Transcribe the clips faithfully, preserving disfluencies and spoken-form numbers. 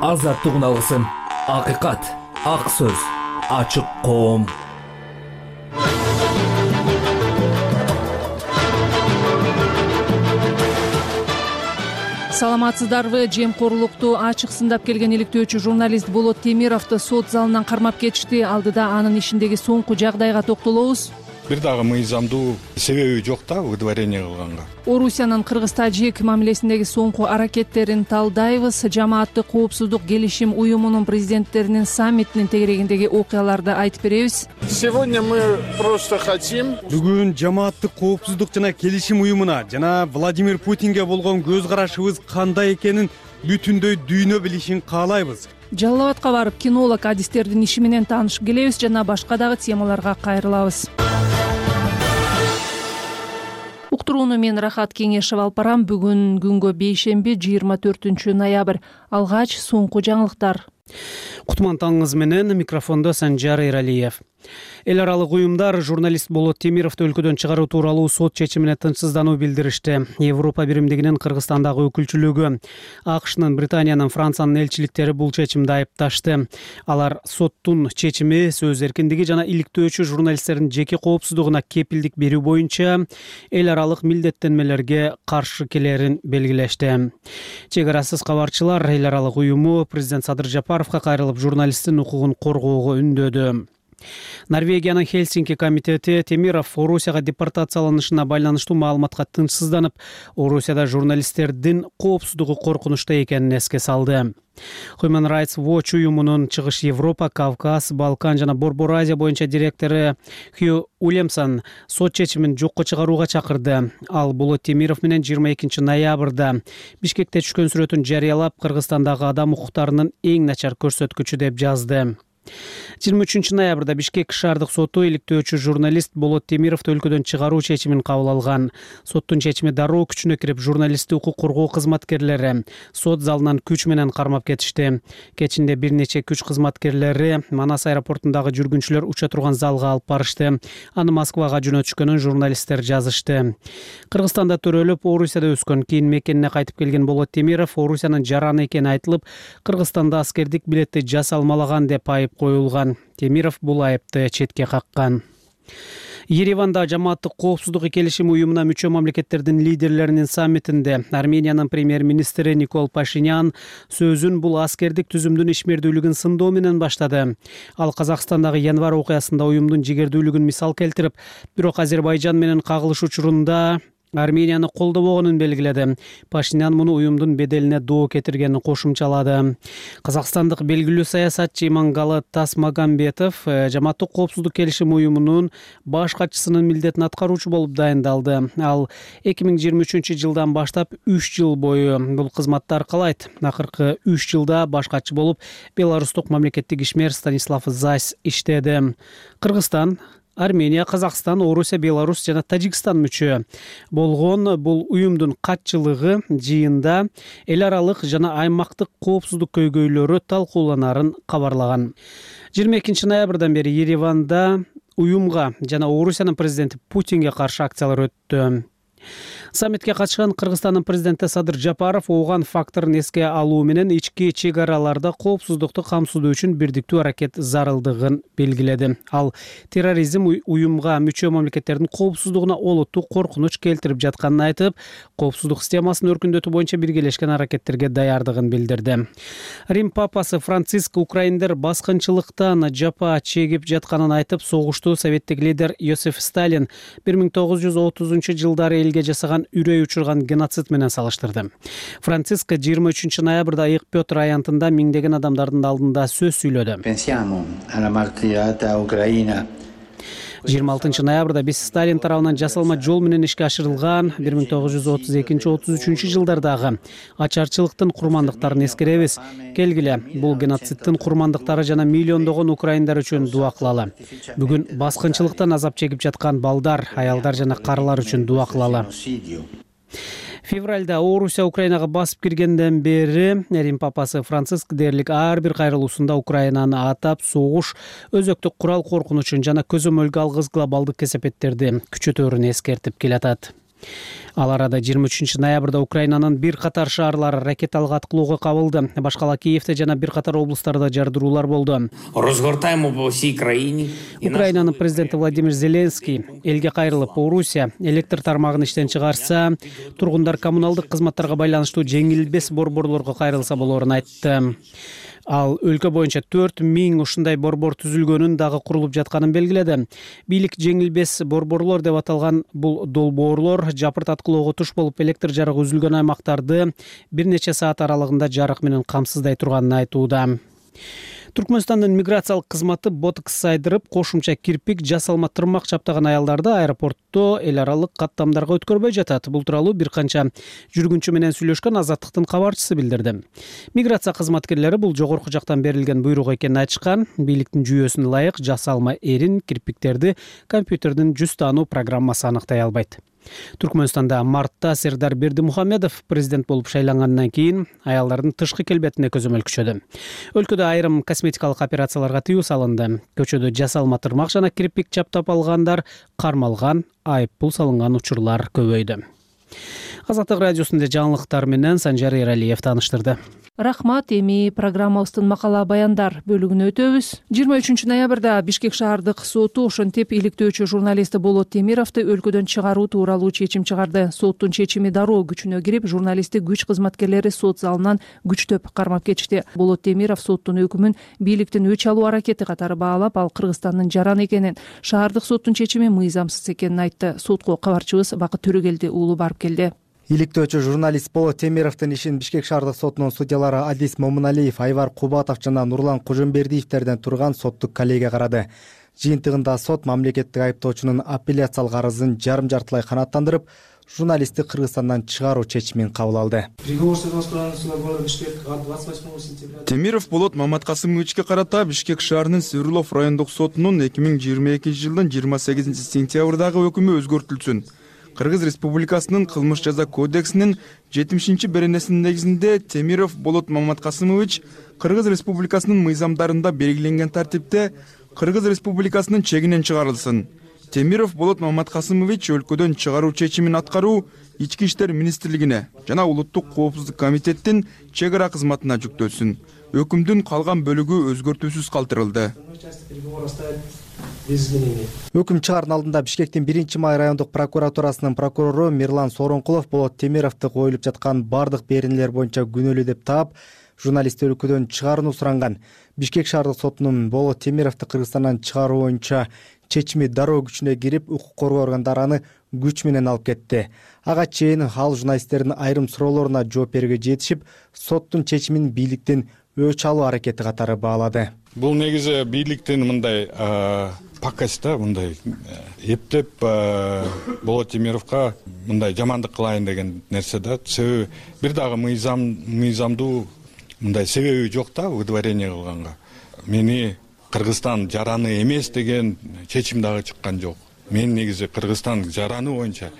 азаттыгын алгысың. Акыйкат, ак сөз, ачык коом. Саламатсыздарбы? Жемкорлукту ачык сындап келген иликтөөчү журналист Болот Темировду сот залынан кармап кетишти. Алдыда анын ишиндеги соңку жагдайга токтолобуз. Бир дагы мыйзамдуу себеби жок да выдворение кылганга. Орусиянын кыргыз-тажик мамилесиндеги соңку аракеттерин талдайбыз. Жамааттык коопсуздук келишим уюмунун президенттеринин саммитинин тегерегиндеги окуяларды айтып беребиз. Сегодня мы просто хотим. Бүгүн жамааттык коопсуздук жана келишим уюмуна жана Владимир Путинге болгон көз карашыбыз кандай экенин бүтүндөй дүйнө билишин каалайбыз. Жалал Абадка барып кинолог адистердин иши менен таанышып келебиз жана башка дагы темаларга кайрылабыз. Уктурууну мен Рахат Кеңешев алып барам. Бүгүн күнгө бейшемби жыйырма төртүнчү ноябрь. Алгач соңку жаңылыктар. Кутман таңыңыз менен микрофондо Санжар Эралиев. Эл аралык уюмдар журналист Болот Темировду өлкөдөн чыгаруу тууралуу сот чечимине тынчсыздануу билдиришти. Европа биримдигинин Кыргызстандагы өкүлчүлүгү, АКШнын, Британиянын, Франциянын элчиликтери бул чечимди айыпташты. Алар соттун чечими сөз эркиндиги жана иликтөөчү журналисттердин жеке коопсуздугуна кепилдик берүү боюнча эл аралык милдеттенмелерге каршы келерин белгилешти. Чек арасыз кабарчылар эл аралык уюму президент Садыр Жапаровго кайрылып журналисттин укугун коргоого үндөдү. Норвегиянын Хельсинки комитети Темиров Орусияга депортацияланышына байланыштуу маалыматка тынчсызданып, Орусияда журналисттердин коопсуздугу коркунучта экенин эске салды. Human Rights Watch уюмунун Чыгыш Европа, Кавказ, Балкан жана Борбор Азия боюнча директору Хью Уильямсон сот чечимин жокко чыгарууга чакырды. Ал Болот Темиров менен жыйырма экинчи ноябрда Бишкекте түшкөн сүрөтүн жарыялап, Кыргызстандагы адам укуктарынын эң начар көрсөткүчү деп жазды. жыйырма үчүнчү ноябрда Бишкек шаардык соту иликтөөчү журналист Болот Темировду өлкөдөн чыгаруу чечимин кабыл алган. Соттун чечими дароо күчүнө кирип, журналистти укук коргоо кызматкерлери сот залынан күч менен кармап кетишти. Кечинде бир нече күч кызматкерлери Манас аэропортундагы жүргүнчүлөр уча турган залга алып барышты. Аны Москвага жөнөтүшкөнүн журналисттер жазышты. Кыргызстанда төрөлүп, Орусияда өскөн, кийин мекенине кайтып келген Болот Темиров Орусиянын жараны экени айтылып, Кыргызстанда аскердик билетти жасалмалаган деп айып коюлган. Темиров бул айыпты четке каккан. Ереванда жамааттык коопсуздук келишим уюмуна мүчө мамлекеттердин лидерлеринин саммитинде Армениянын премьер-министри Никол Пашинян сөзүн бул аскердик түзүмдүн ишмердүүлүгүн сындоо менен баштады. Ал Казакстандагы январь окуясында уюмдун жигердүүлүгүн мисал келтирип, бирок Азербайжан менен кагылыш учурунда Арменияны колдобогонун белгиледи. Пашинян муну уюмдун беделине доо кетиргенин кошумчалады. Казакстандык белгилүү саясатчы Имангалы Тасмагамбетов жамааттык коопсуздук келишим уюмунун баш катчысынын милдетин аткаруучу болуп дайындалды. Ал эки миң жыйырма үчүнчү жылдан баштап үч жыл бою бул кызматты аркалайт. Акыркы үч жылда баш катчы болуп беларустук мамлекеттик ишмер Станислав Зась иштеди. Кыргызстан, Армения, Казакстан, Орусия, Беларусь жана Тажикстан мүчө болгон бул уюмдун катчылыгы жыйында эл аралык жана аймактык коопсуздук көйгөйлөрү талкууланарын кабарлаган. жыйырма экинчи ноябрдан бери Ереванда уюмга жана Орусиянын президенти Путинге каршы акциялар өттү. Саммитке катышкан Кыргызстандын президенти Садыр Жапаров ооган факторун эске алуу менен ички чек араларда коопсуздукту камсыздоо үчүн бирдиктүү аракет зарылдыгын белгиледи. Ал терроризм уюмга мүчө мамлекеттердин коопсуздугуна олуттуу коркунуч келтирип жатканын айтып, коопсуздук системасын өркүндөтүү боюнча биргелешкен аракеттерге даярдыгын билдирди. Рим папасы Франциск украиндер баскынчылыктан жапа чегип жатканын айтып, согушту советтик лидер Йосиф Сталин бир миң тогуз жүз отузунчу жылдары элге жасаган үрөй учурган геноцид менен салыштырды. Франциск жыйырма үчүнчү ноябрда Ыйык Петр аянтында миңдеген адамдардын алдында сөз сүйлөдү. жыйырма алтынчы ноябрда биз Сталин тарабынан жасалма жол менен ишке ашырылган бир миң тогуз жүз отуз экинчи отуз үчүнчү жылдардагы ачарчылыктын курмандыктарын эскеребиз. Келгиле, бул геноцидтин курмандыктары жана миллиондогон украиндар үчүн дуа кылалы. Бүгүн баскынчылыктан азап чегип жаткан балдар, аялдар жана карылар үчүн дуа кылалы. Февралда Орусия Украинага басып киргенден бери Рим папасы Франциск дээрлик ар бир кайрылуусунда Украинаны атап, согуш, өзөктүк курал коркунучун жана көзөмөлгө алгыс глобалдык кесепеттерди күчөтөөрүн эскертип келатат. Ал арада жыйырма үчүнчү ноябрда Украинанын бир катар шаарлары ракеталык аткылоого кабылды. Башкала Киевде жана бир катар облустарда жардыруулар болду. Розгортаємо по всій країні. Украинанын президенти Владимир Зеленский элге кайрылып, Орусия электр тармагын иштен чыгарса, тургундар коммуналдык кызматтарга байланыштуу жеңилбес борборлорго кайрылса болоорун айтты. Ал өлкө боюнча төрт миң ушундай борбор түзүлгөнүн дагы курулуп жатканын белгиледи. Бийлик жеңилбес борборлор деп аталган бул долбоорлор жапырт аткылоого туш болуп электр жарыгы үзүлгөн аймактарды бир нече саат аралыгында жарык менен камсыздай турганын айтууда. Түркмөнстандын миграциялык кызматы ботокс сайдырып, кошумча кирпик, жасалма тырмак чаптаган аялдарды аэропортто эл аралык каттамдарга өткөрбөй жатат. Бул тууралуу бир канча жүргүнчү менен сүйлөшкөн Азаттыктын кабарчысы билдирди. Миграция кызматкерлери бул жогорку жактан берилген буйрук экенин айтышкан. Бийликтин жүйөсүнө ылайык жасалма эрин, кирпиктерди компьютердин жүз таануу программасы аныктай албайт. Түркмөнстанда мартта Сердар Бердимухамедов президент болуп шайлангандан кийин аялдардын тышкы келбетине көзөмөл күчөдү. Өлкөдө айрым косметикалык операцияларга тыюу салынды. Көчөдө жасалма тырмак жана кирпик чаптап алгандар кармалган, айып пул салынган учурлар көбөйдү. Азаттык радиосунда жаңылыктар менен Санжар Эралиев тааныштырды. Рахмат. Эми программабыздын макала баяндар бөлүгүнө өтөбүз. жыйырма үчүнчү ноябрда Бишкек шаардык соту ошентип иликтөөчү журналисти Болот Темировду өлкөдөн чыгаруу тууралуу чечим чыгарды. Соттун чечими дароо күчүнө кирип, журналистти күч кызматкерлери сот залынан күчтөп кармап кетишти. Болот Темиров соттун өкүмүн бийликтин өч алуу аракети катары баалап, ал Кыргызстандын жараны экенин, шаардык соттун чечими мыйзамсыз экенин айтты. Сотко кабарчыбыз Бакыт Төрөгелди уулу барып келди. Иликтөөчү журналист Болот Темировдун ишин Бишкек шаардык сотунун судьялары Адис Момуналиев, Айвар Кубатов жана Нурлан Кожомбердиевтерден турган соттук коллегия карады. Жыйынтыгында сот мамлекеттик айыптоочунун апелляциялык арызын жарым жартылай канааттандырып, журналистти Кыргызстандан чыгаруу чечимин кабыл алды. Темиров Болот Маматкасымовичке карата Бишкек шаарынын Свердлов райондук сотунун эки миң жыйырма экинчи жылдын жыйырма сегизинчи сентябрдагы өкүмү өзгөртүлсүн. Кыргыз Республикасынын кылмыш жаза кодексинин жетимишинчи беренесинин негизинде Темиров Болот Маматкасымович Кыргыз Республикасынын мыйзамдарында белгиленген тартипте Кыргыз Республикасынын чегинен чыгарылсын. Темиров Болот Маматкасымович өлкөдөн чыгаруу чечимин аткаруу Ички иштер министрлигине жана Улуттук коопсуздук комитеттин чек ара кызматына жүктөлсүн. Өкүмдүн калган бөлүгү өзгөртүүсүз калтырылды. Өкүм чыгаардын алдында Бишкектин биринчи май райондук прокуратурасынын прокурору Мирлан Соронкулов Болот Темировду коюлуп жаткан бардык беренелер боюнча күнөөлүү деп таап, журналистти өлкөдөн чыгарууну суранган. Бишкек шаардык сотунун Болот Темировду Кыргызстандан чыгаруу боюнча чечими дароо күчүнө кирип, укук коргоо органдары аны күч менен алып кетти. Ага чейин ал журналисттердин айрым суроолоруна жооп берүүгө жетишип, соттун чечимин бийликтин өч алуу аракети катары баалады. Бул негизи бийликтин мындай пакость да, мындай эптеп Болот Темировго мындай жамандык кылайын деген нерсе да. Себеби бир дагы мыйзам мыйзамдуу мындай себеби жок да выдворение кылганга. Мени Кыргызстан жараны эмес деген чечим дагы чыккан жок. Мен негизи Кыргызстан жараны боюнча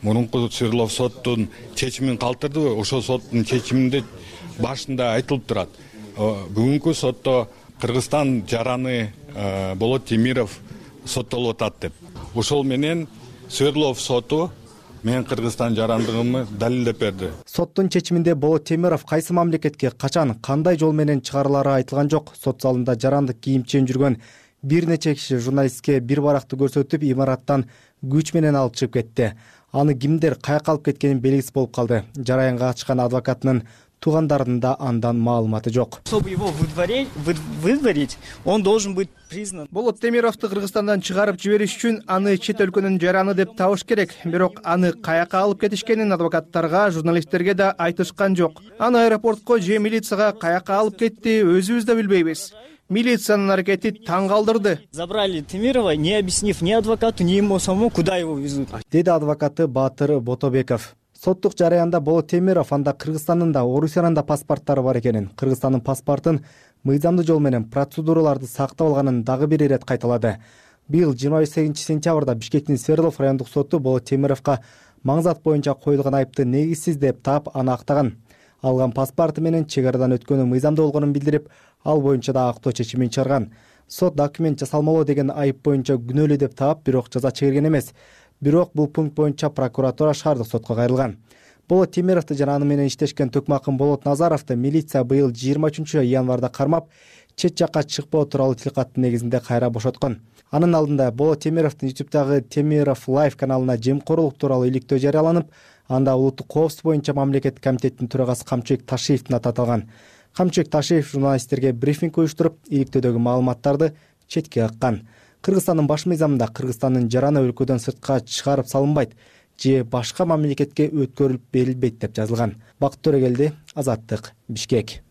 мурунку Свердлов соттун чечимин калтырды. Ошол соттун чечиминде башында айтылып турат. Бүгүнкү сотто Кыргызстан жараны Болот Темиров соттолуп атат деп. Ошол менен Свердлов соту мен Кыргызстан жарандыгымды далилдеп берди. Соттун чечиминде Болот Темиров кайсы мамлекетке качан, кандай жол менен чыгарылары айтылган жок. Сот залында жарандык кийимчен жүргөн бир нече киши журналистке бир баракты көрсөтүп, имараттан күч менен алып чыгып кетти. Аны кимдер каяка алып кеткени белгисиз болуп калды. Жараянга катышкан адвокатынын туугандарынын да андан маалыматы жок. Чтобы его выдворить, выдворить, он должен быть признан. Болот Темировду Кыргызстандан чыгарып жибериш үчүн аны чет өлкөнүн жараны деп табыш керек. Бирок аны каяка алып кетишкенин адвокаттарга, журналисттерге да айтышкан жок. Аны аэропортко же милицияга каяка алып кетти, өзүбүз да билбейбиз. Милициянын аракети таң калдырды. Забрали Темирова, не объяснив ни адвокату, ни ему самому, куда его везут. Деди адвокаты Баатыр Ботобеков. Соттук жараянда Болот Темиров анда Кыргызстандын да, Орусиянын да паспорттары бар экенин, Кыргызстандын паспортун мыйзамдуу жол менен процедураларды сактап алганын дагы бир ирет кайталады. Быйыл жыйырма сегизинчи сентябрда Бишкектин Свердлов райондук соту Болот Темировго маңзат боюнча коюлган айыпты негизсиз деп таап, аны актаган. Алган паспорту менен чек арадан өткөнү мыйзамдуу болгонун билдирип, ал боюнча да актоо чечимин чыгарган. Сот документ жасалмалоо деген айып боюнча күнөөлүү деп таап, бирок жаза чегерген эмес. бирок бул пункт боюнча прокуратура шаардык сотко кайрылган. Болот Темировду жана аны менен иштешкен Төкмакын Болот Назаровду милиция быйыл жыйырма үчүнчү январда кармап, чет жакка чыкпоо тууралуу тилкаттын негизинде кайра бошоткон. Анын алдында Болот Темировдун ютубтагы Темиров Лайв каналына жемкорлук тууралуу иликтөө жарыяланып, анда улуттук коопсуздук боюнча мамлекеттик комитеттин төрагасы Камчыбек Ташиевдин аты аталган. Камчыбек Ташиев журналисттерге брифинг уюштуруп, иликтөөдөгү маалыматтарды четке каккан. Кыргызстандын баш мыйзамында Кыргызстандын жараны өлкөдөн сыртка чыгарып салынбайт же башка мамлекетке өткөрүлүп берилбейт деп жазылган. Бакыт Төрөгелди, Азаттык, Бишкек.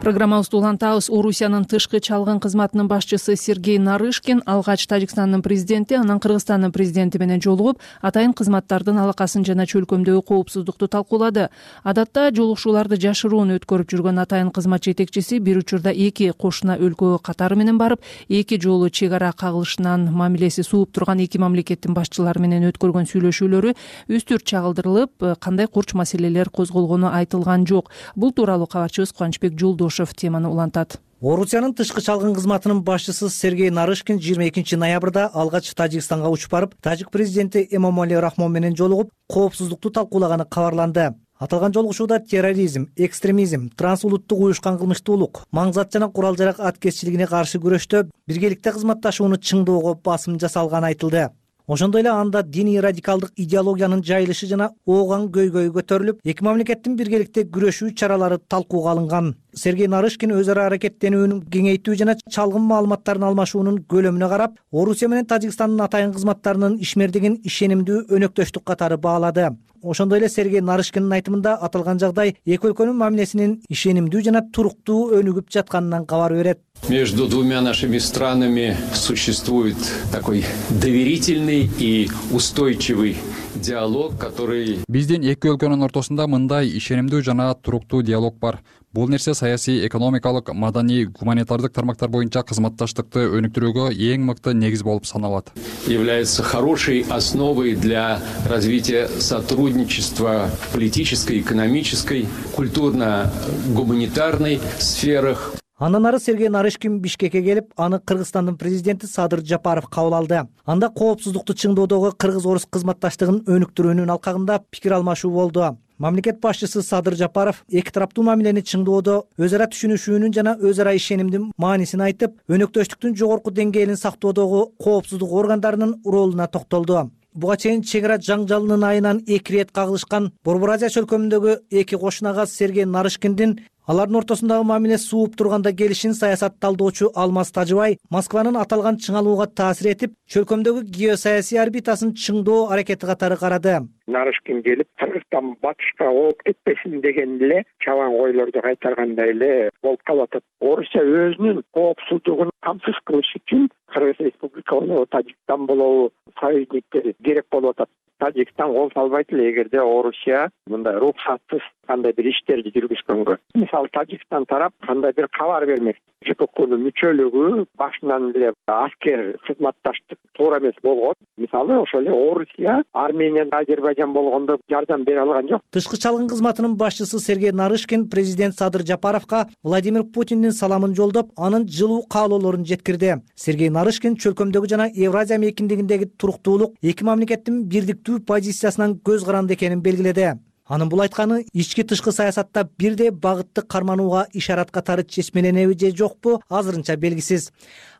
Программабызды улантабыз. Орусиянын тышкы чалгын кызматынын башчысы Сергей Нарышкин алгач Тажикстандын президенти, анан Кыргызстандын президенти менен жолугуп, атайын кызматтардын алакасын жана чөлкөмдөгү коопсуздукту талкуулады. Адатта жолугушууларды жашыруун өткөрүп жүргөн атайын кызмат жетекчиси бир учурда эки кошуна өлкөгө катары менен барып, эки жолу чек ара кагылышынан мамилеси сууп турган эки мамлекеттин башчылары менен өткөргөн сүйлөшүүлөрү үстүр чагылдырылып, кандай курч маселелер козголгону айтылган жок. Бул тууралуу кабарчыбыз Кубанычбек Жолдошов теманы улантат. Орусиянын тышкы чалгын кызматынын башчысы Сергей Нарышкин жыйырма экинчи ноябрда алгач Тажикстанга учуп барып, тажик президенти Эмомали Рахмон менен жолугуп, коопсуздукту талкуулаганы кабарланды. Аталган жолугушууда терроризм, экстремизм, трансулуттук уюшкан кылмыштуулук, маңзат жана курал-жарак аткезчилигине каршы күрөштө биргеликте кызматташууну чыңдоого басым жасалганы айтылды. Ошондой эле анда диний радикалдык идеологиянын жайылышы жана ооган көйгөйү көтөрүлүп, эки мамлекеттин биргеликте күрөшүү чаралары талкууга алынган. Сергей Нарышкин өз ара аракеттенүүнүн кеңейтүү жана чалгын маалыматтарын алмашуунун көлөмүнө карап, Орусия менен Тажикстандын атайын кызматтарынын ишмердигин ишенимдүү өнөктөштүк катары баалады. Ошондой эле Сергей Нарышкиндин айтымында аталган жагдай эки өлкөнүн мамилесинин ишенимдүү жана туруктуу өнүгүп жатканынан кабар берет. Между двумя нашими странами существует такой доверительный и устойчивый диалог, который... Биздин эки өлкөнүн ортосунда мындай ишенимдүү жана туруктуу диалог бар. Бул нерсе саясий, экономикалык, маданий, гуманитардык тармактар боюнча кызматташтыкты өнүктүрүүгө эң мыкты негиз болуп саналат. Является хорошей основой для развития сотрудничества в политической, экономической, культурно-гуманитарной сферах. Андан ары Сергей Нарышкин Бишкекке келип, аны Кыргызстандын президенти Садыр Жапаров кабыл алды. Анда коопсуздукту чыңдоодогу кыргыз-орус кызматташтыгын өнүктүрүүнүн алкагында пикир алмашуу болду. Мамлекет башчысы Садыр Жапаров эки тараптуу мамилени чыңдоодо өз ара түшүнүшүүнүн жана өз ара ишенимдин маанисин айтып, өнөктөштүктүн жогорку деңгээлин сактоодогу коопсуздук органдарынын ролуна токтолду. Буга чейин чек ара жаңжалынын айынан эки ирет кагылышкан Борбор Азия чөлкөмүндөгү эки кошунага Сергей Нарышкиндин алардын ортосундагы мамиле сууп турганда келишин саясат талдоочу Алмаз Тажыбай Москванын аталган чыңалууга таасир этип, чөлкөмдөгү геосаясий орбитасын чыңдоо аракети катары карады. Нарышкин келип, Кыргызстан батышка ооп кетпесин деген эле чабан койлорду кайтаргандай эле болуп калат. Орусия өзүнүн коопсуздугун камсыз кылыш үчүн Кыргыз Республика болобу, Тажикстан болобу, союзниктери керек болуп атат. Тажикстан кол салбайт эле эгерде Орусия мындай рухсатсыз кандай бир иштерди жүргүзгөнгө. Мисалы Тажикстан тарап кандай бир кабар бермек. ЖККнын мүчөлүгү башынан эле аскер кызматташтык туура эмес болгон. Мисалы ошол эле Орусия Армения, Азербайжан болгондо жардам бере алган жок. Тышкы чалгын кызматынын башчысы Сергей Нарышкин президент Садыр Жапаровго Владимир Путиндин саламын жолдоп, анын жылуу каалоолорун жеткирди. Сергей Нарышкин чөлкөмдөгү жана Евразия мейкиндигиндеги туруктуулук эки мамлекеттин бирдиктүү позициясынан көз каранды экенин белгиледи. Анын бул айтканы ички тышкы саясатта бирдей багытты карманууга ишарат катары чечмеленеби же жокпу азырынча белгисиз.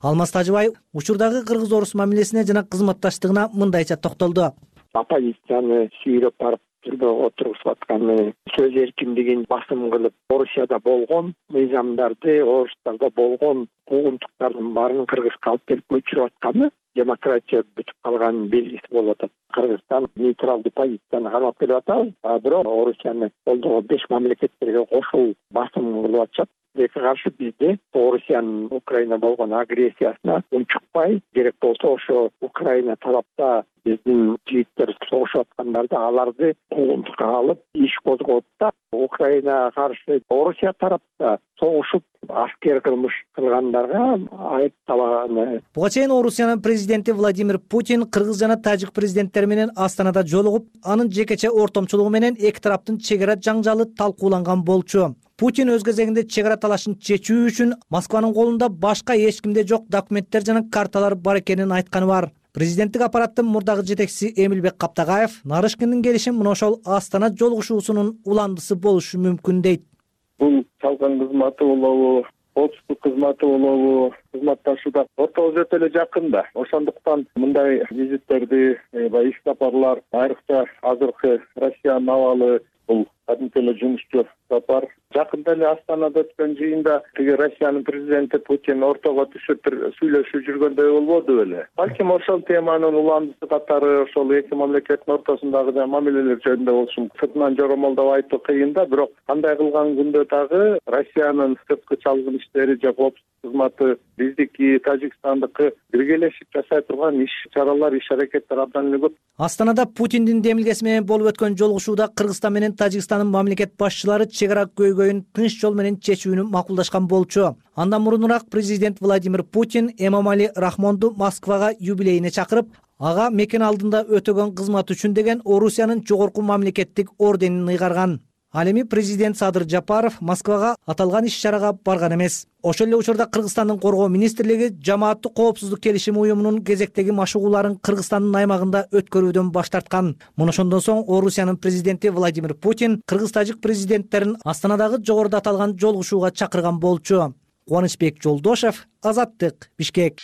Алмаз Тажыбай учурдагы кыргыз-орус мамилесине жана кызматташтыгына мындайча токтолду. Оппозицияны сүйрөп барып түрмөгө отургузуп атканы, сөз эркиндигин басым кылып, Орусияда болгон мыйзамдарды, орустарда болгон куугунтуктардын баарын Кыргызга алып келип көчүрүп атканы демократия бүтүп калганын белгиси болуп атат. Кыргызстан нейтралдуу позицияны кармап келип атат, а бирок Орусияны колдогон беш мамлекеттерге кошул басым кылып атышат. Эки каршы бизде Орусиянын Украина болгон агрессиясына унчукпай, керек болсо ошо Украина тарапта биздин жигиттер согушуп аткандарды аларды куугунтукка алып иш козгоп да, Украинага каршы Орусия тарапта согушуп аскер кылмыш кылгандарга айыпталганы. Буга чейин Орусиянын президенти Владимир Путин кыргыз жана тажик президенттери менен Астанада жолугуп, анын жекече ортомчулугу менен эки тараптын чек ара жаңжалы талкууланган болчу. Путин өз кезегинде чек ара талашын чечүү үчүн Москванын колунда башка эч кимде жок документтер жана карталар бар экенин айтканы бар. Президенттик аппараттын мурдагы жетекчиси Эмилбек Каптагаев Нарышкиндин келиши мына ошол Астана жолугушуусунун уландысы болушу мүмкүн дейт. Бул чалган кызматы болобу, коопсуздук кызматы болобу, кызматташууда ортобуз өтө эле жакын да. Ошондуктан мындай визиттерди, баягы иш сапарлар, айрыкча азыркы Россиянын абалы бул кадимки эле жумушчу сапар. Жакында эле Астанада өткөн жыйында тиги Россиянын президенти Путин ортого түшүп бир сүйлөшүп жүргөндөй болбоду беле. Балким ошол теманын уландысы катары ошол эки мамлекеттин ортосундагы мамилелер жөнүндө болушу сыртынан жоромолдоп айтуу кыйын да, бирок кандай кылган күндө дагы Россиянын сырткы чалгын иштери же коопсуздук кызматы биздики, Тажикстандыкы биргелешип жасай турган иш чаралар, иш аракеттер абдан эле көп. Астанада Путиндин демилгеси менен болуп өткөн жолугушууда Кыргызстан менен Тажикстандын мамлекет башчылары чек ара көйгөйүн тынч жол менен чечүүнү макулдашкан болчу. Андан мурунураак президент Владимир Путин Эмомали Рахмонду Москвага юбилейине чакырып, ага мекен алдында өтөгөн кызмат үчүн деген Орусиянын жогорку мамлекеттик орденин ыйгарган. Ал эми президент Садыр Жапаров Москвага аталган иш-чарага барган эмес. Ошол эле учурда Кыргызстандын коргоо министрлиги жамааттык коопсуздук келишими уюмунун кезектеги машыгууларын Кыргызстандын аймагында өткөрүүдөн баш тарткан. Мына ошондон соң Орусиянын президенти Владимир Путин кыргыз-тажик президенттерин Астанадагы жогоруда аталган жолугушууга чакырган болчу. Кубанычбек Жолдошев, Азаттык, Бишкек.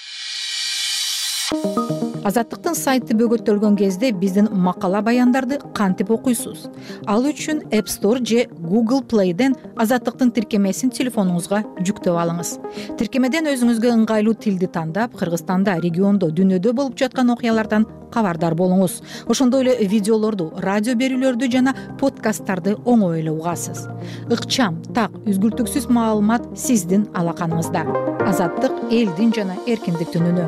Азаттыктын сайты бөгөттөлгөн кезде биздин макала баяндарды кантип окуйсуз? Ал үчүн App Store же Google Play'ден Азаттыктын тиркемесин телефонуңузга жүктөп алыңыз. Тиркемеден өзүңүзгө ыңгайлуу тилди тандап, Кыргызстанда, региондо, дүйнөдө болуп жаткан окуялардан кабардар болуңуз. Ошондой эле видеолорду, радио берүүлөрдү жана подкасттарды оңой эле угасыз. Ыкчам, так, үзгүлтүксүз маалымат сиздин алаканыңызда. Азаттык элдин жана эркиндиктин үнү.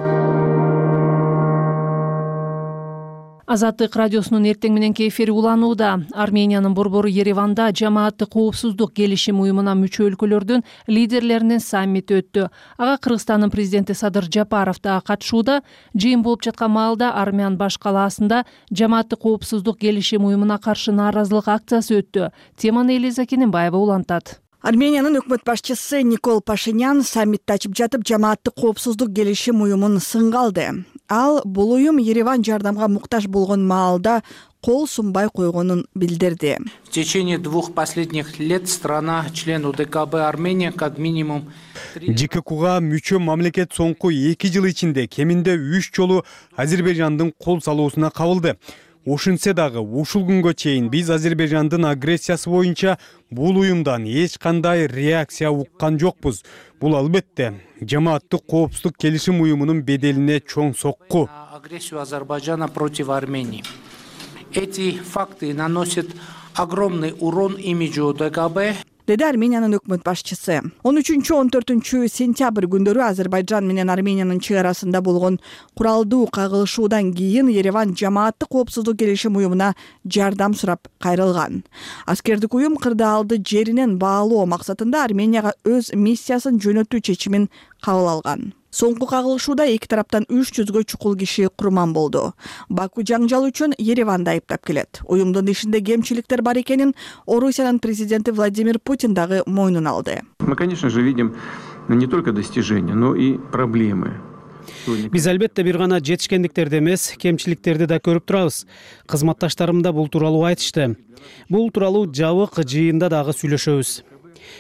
Азаттык радиосунун эртең мененки эфири уланууда. Армениянын борбору Ереванда жамааттык коопсуздук келишим уюмуна мүчө өлкөлөрдүн лидерлеринин саммити өттү. Ага Кыргызстандын президенти Садыр Жапаров да катышууда. Жыйын болуп жаткан маалда Армян баш калаасында жамааттык коопсуздук келишим уюмуна каршы нааразылык акциясы өттү. Теманы Элиза Кененбаева улантат. Армениянын өкмөт башчысы Никол Пашинян саммитти ачып жатып жамааттык коопсуздук келишим уюмун сынга алды. Ал бул уюм Ереван жардамга муктаж болгон маалда кол сунбай койгонун билдирди. В течение двух последних лет страна член УДКБ Армения как минимум ЖККга мүчө мамлекет соңку эки жыл ичинде кеминде үч жолу Азербайжандын кол салуусуна кабылды. Ошентсе дагы ушул күнгө чейин биз Азербайжандын агрессиясы боюнча бул уюмдан эч кандай реакция уккан жокпуз. Бул албетте жамааттык коопсуздук келишим уюмунун беделине чоң сокку. Агрессию Азербайджана против Армении. Эти факты наносят огромный урон имиджу УДКБ. Деди Армениянын өкмөт башчысы. он үчүнчү он төртүнчү сентябрь күндөрү Азербайджан менен Армениянын чек арасында болгон куралдуу кагылышуудан кийин Ереван жамааттык коопсуздук келишим уюмуна жардам сурап кайрылган. Аскердик уюм кырдаалды жеринен баалоо максатында Арменияга өз миссиясын жөнөтүү чечимин кабыл алган. Соңку кагылышууда эки тараптан үч жүзгө чукул киши курман болду. Баку жаңжал үчүн Ереванды айыптап келет. Уюмдун ишинде кемчиликтер бар экенин Орусиянын президенти Владимир Путин дагы мойнуна алды. Мы, конечно же, видим не только достижения, но и проблемы. Биз албетте бир гана жетишкендиктерди эмес, кемчиликтерди да көрүп турабыз. Кызматташтарым да бул тууралуу айтышты. Бул тууралуу жабык жыйында дагы сүйлөшөбүз.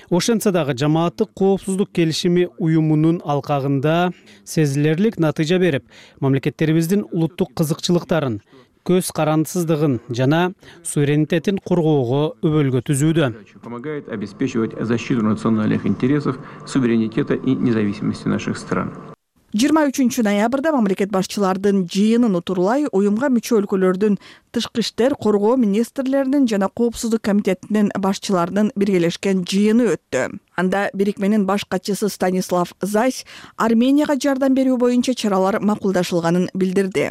Ошентсе дагы жамааттык коопсуздук келишими уюмунун алкагында сезилерлик натыйжа берип, мамлекеттерибиздин улуттук кызыкчылыктарын, көз карандысыздыгын жана суверенитетин коргоого өбөлгө түзүүдө. Помогает обеспечивать защиту национальных интересов, суверенитета и независимости наших стран. жыйырма үчүнчү ноябрда мамлекет башчылардын жыйынын утурлай уюмга мүчө өлкөлөрдүн тышкы иштер, коргоо министрлеринин жана коопсуздук комитетинин башчыларынын биргелешкен жыйыны өттү. Анда бирикменин баш катчысы Станислав Зась Арменияга жардам берүү боюнча чаралар макулдашылганын билдирди.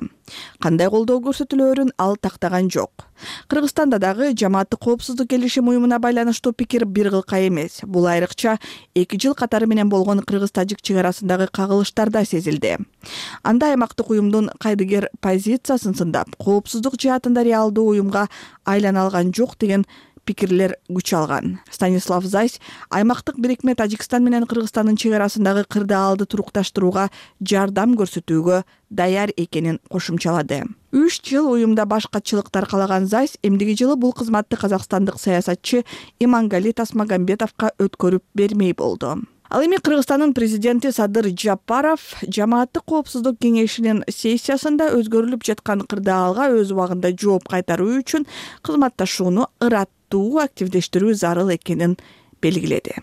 Кандай колдоо көрсөтүлөөрүн ал тактаган жок. Кыргызстанда дагы жамааттык коопсуздук келишим уюмуна байланыштуу пикир бир кылка эмес. Бул айрыкча эки жыл катары менен болгон кыргыз-тажик чек арасындагы кагылыштарда сезилди. Анда аймактык уюмдун кайдыгер позициясын сындап, коопсуздук жаатында реалдуу уюмга айлана алган жок деген пикирлер күч алган. Станислав Зайс аймактык бирикме Тажикстан менен Кыргызстандын чек арасындагы кырдаалды турукташтырууга жардам көрсөтүүгө даяр экенин кошумчалады. Үч жыл уюмда баш катчылыктар калаган Зайс эмдиги жылы бул кызматты казакстандык саясатчы Имангали Тасмагамбетовго өткөрүп бермей болду. Ал эми Кыргызстандын президенти Садыр Жапаров жамааттык коопсуздук кеңешинин сессиясында өзгөрүлүп жаткан кырдаалга өз убагында жооп кайтаруу үчүн кызматташууну ыраттуу активдештирүү зарыл экенин белгиледи.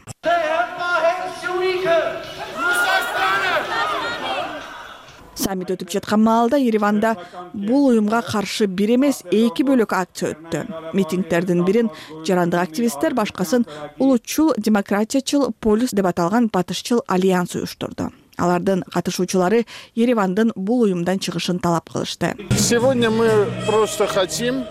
Саммит өтүп жаткан маалда Ереванда бул уюмга каршы бир эмес эки бөлөк акция өттү. Митингдердин бирин жарандык активисттер, башкасын улутчул демократиячыл полис деп аталган батышчыл альянс уюштурду. Алардын катышуучулары Еревандын бул уюмдан чыгышын талап кылышты. Сегодня мы просто хотим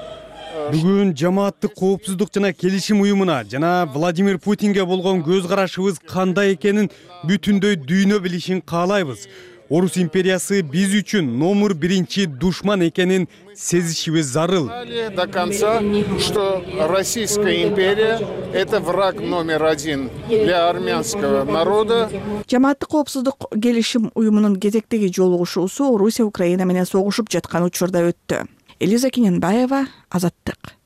Бүгүн жамааттык коопсуздук жана келишим уюмуна жана Владимир Путинге болгон көз карашыбыз кандай экенин бүтүндөй дүйнө билишин каалайбыз. Орус империясы биз үчүн номер биринчи душман экенин сезишибиз зарыл. До конца, что Российская империя – это враг номер один для армянского народа. Жамааттык коопсуздук келишим уюмунун кезектеги жолугушуусу Орусия Украина менен согушуп жаткан учурда өттү. Элиза Кененбаева, Азаттык.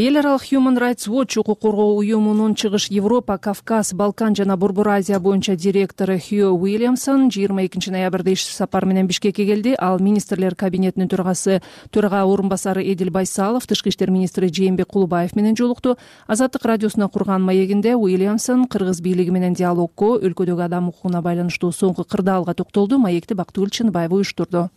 Эл аралык Human Rights Watch укук коргоо уюмунун Чыгыш Европа, Кавказ, Балкан жана Борбор Азия боюнча директору Хью Уильямсон жыйырма экинчи ноябрда иш сапар менен Бишкекке келди. Ал министрлер кабинетинин төрагасы, төрага орун басары Эдил Байсалов, тышкы иштер министри Жээнбек Кулубаев менен жолукту. Азаттык радиосуна курган маегинде Уильямсон кыргыз бийлиги менен диалогко, өлкөдөгү адам укугуна байланыштуу соңку кырдаалга токтолду. Маекти Бактыгүл Чыныбаева уюштурду.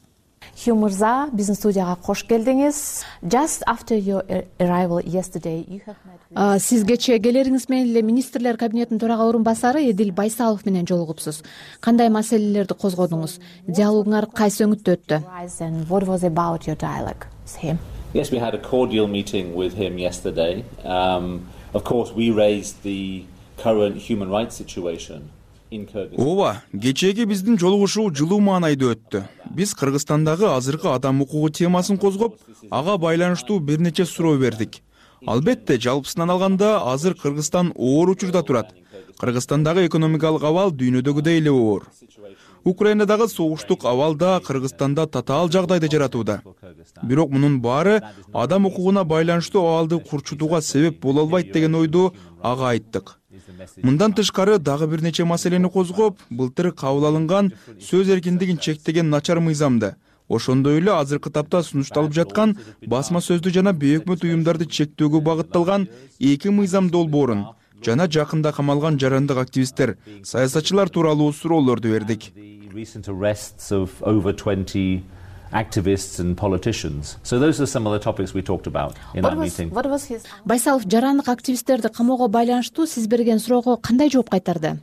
Хью мырза, биздин студияга кош келдиңиз. Just after your arrival yesterday, you have met. Сиз кечээ келериңиз менен эле министрлер кабинетинин төрага орун басары Эдил Байсалов менен жолугупсуз. Кандай маселелерди козгодуңуз? Диалогуңар кайсы өңүттө өттү? And what was about your dialogue with him? Yes, we had a cordial meeting with him yesterday. Um, of course, we raised the current human rights situation. Ооба, кечээги биздин жолугушуу жылуу маанайда өттү. Биз Кыргызстандагы азыркы адам укугу темасын козгоп, ага байланыштуу бир нече суроо бердик. Албетте, жалпысынан алганда азыр Кыргызстан оор учурда турат. Кыргызстандагы экономикалык абал дүйнөдөгүдөй эле оор. Украинадагы согуштук абал да Кыргызстанда татаал жагдайды жаратууда. Бирок мунун баары адам укугуна байланыштуу абалды курчутууга себеп боло албайт деген ойду ага айттык. Мындан тышкары дагы бир нече маселени козгоп, былтыр кабыл алынган сөз эркиндигин чектеген начар мыйзамды, ошондой эле азыркы тапта сунушталып жаткан басма сөздү жана бейөкмөт уюмдарды чектөөгө багытталган эки мыйзам долбоорун жана жакында камалган жарандык активисттер, саясатчылар тууралуу суроолорду бердик. Activists and politicians. So those are some of the topics we talked about in that meeting. What was his? Байсалов жарандык активисттерди камоого байланыштуу сиз берген суроого кандай жооп кайтарды?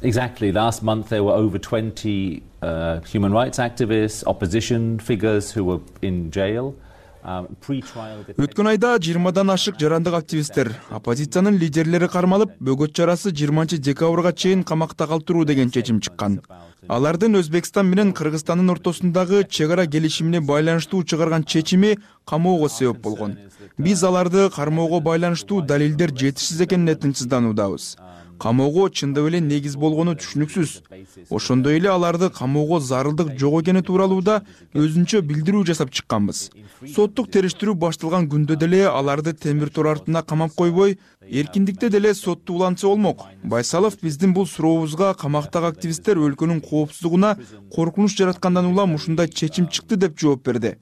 Exactly. Last month there were over twenty uh, human rights activists, opposition figures who were in jail. Өткөн айда жыйырмадан ашык жарандык активисттер, оппозициянын лидерлери кармалып, бөгөт чарасы жыйырманчы декабрга чейин камакта калтыруу деген чечим чыккан. Алардын Өзбекстан менен Кыргызстандын ортосундагы чек ара келишимине байланыштуу чыгарган чечими камоого себеп болгон. Биз аларды кармоого байланыштуу далилдер жетишсиз экенине тынчсыздануудабыз. Камоого чындап эле негиз болгону түшүнүксүз. Ошондой эле аларды камоого зарылдык жок экени тууралуу да өзүнчө билдирүү жасап чыкканбыз. Соттук териштирүү башталган күндө деле аларды темир тор артына камап койбой, эркиндикте деле сотто улантса болмок. Байсалов биздин бул сурообузга камактагы активисттер өлкөнүн коопсуздугуна коркунуч жараткандан улам ушундай чечим чыкты деп жооп берди.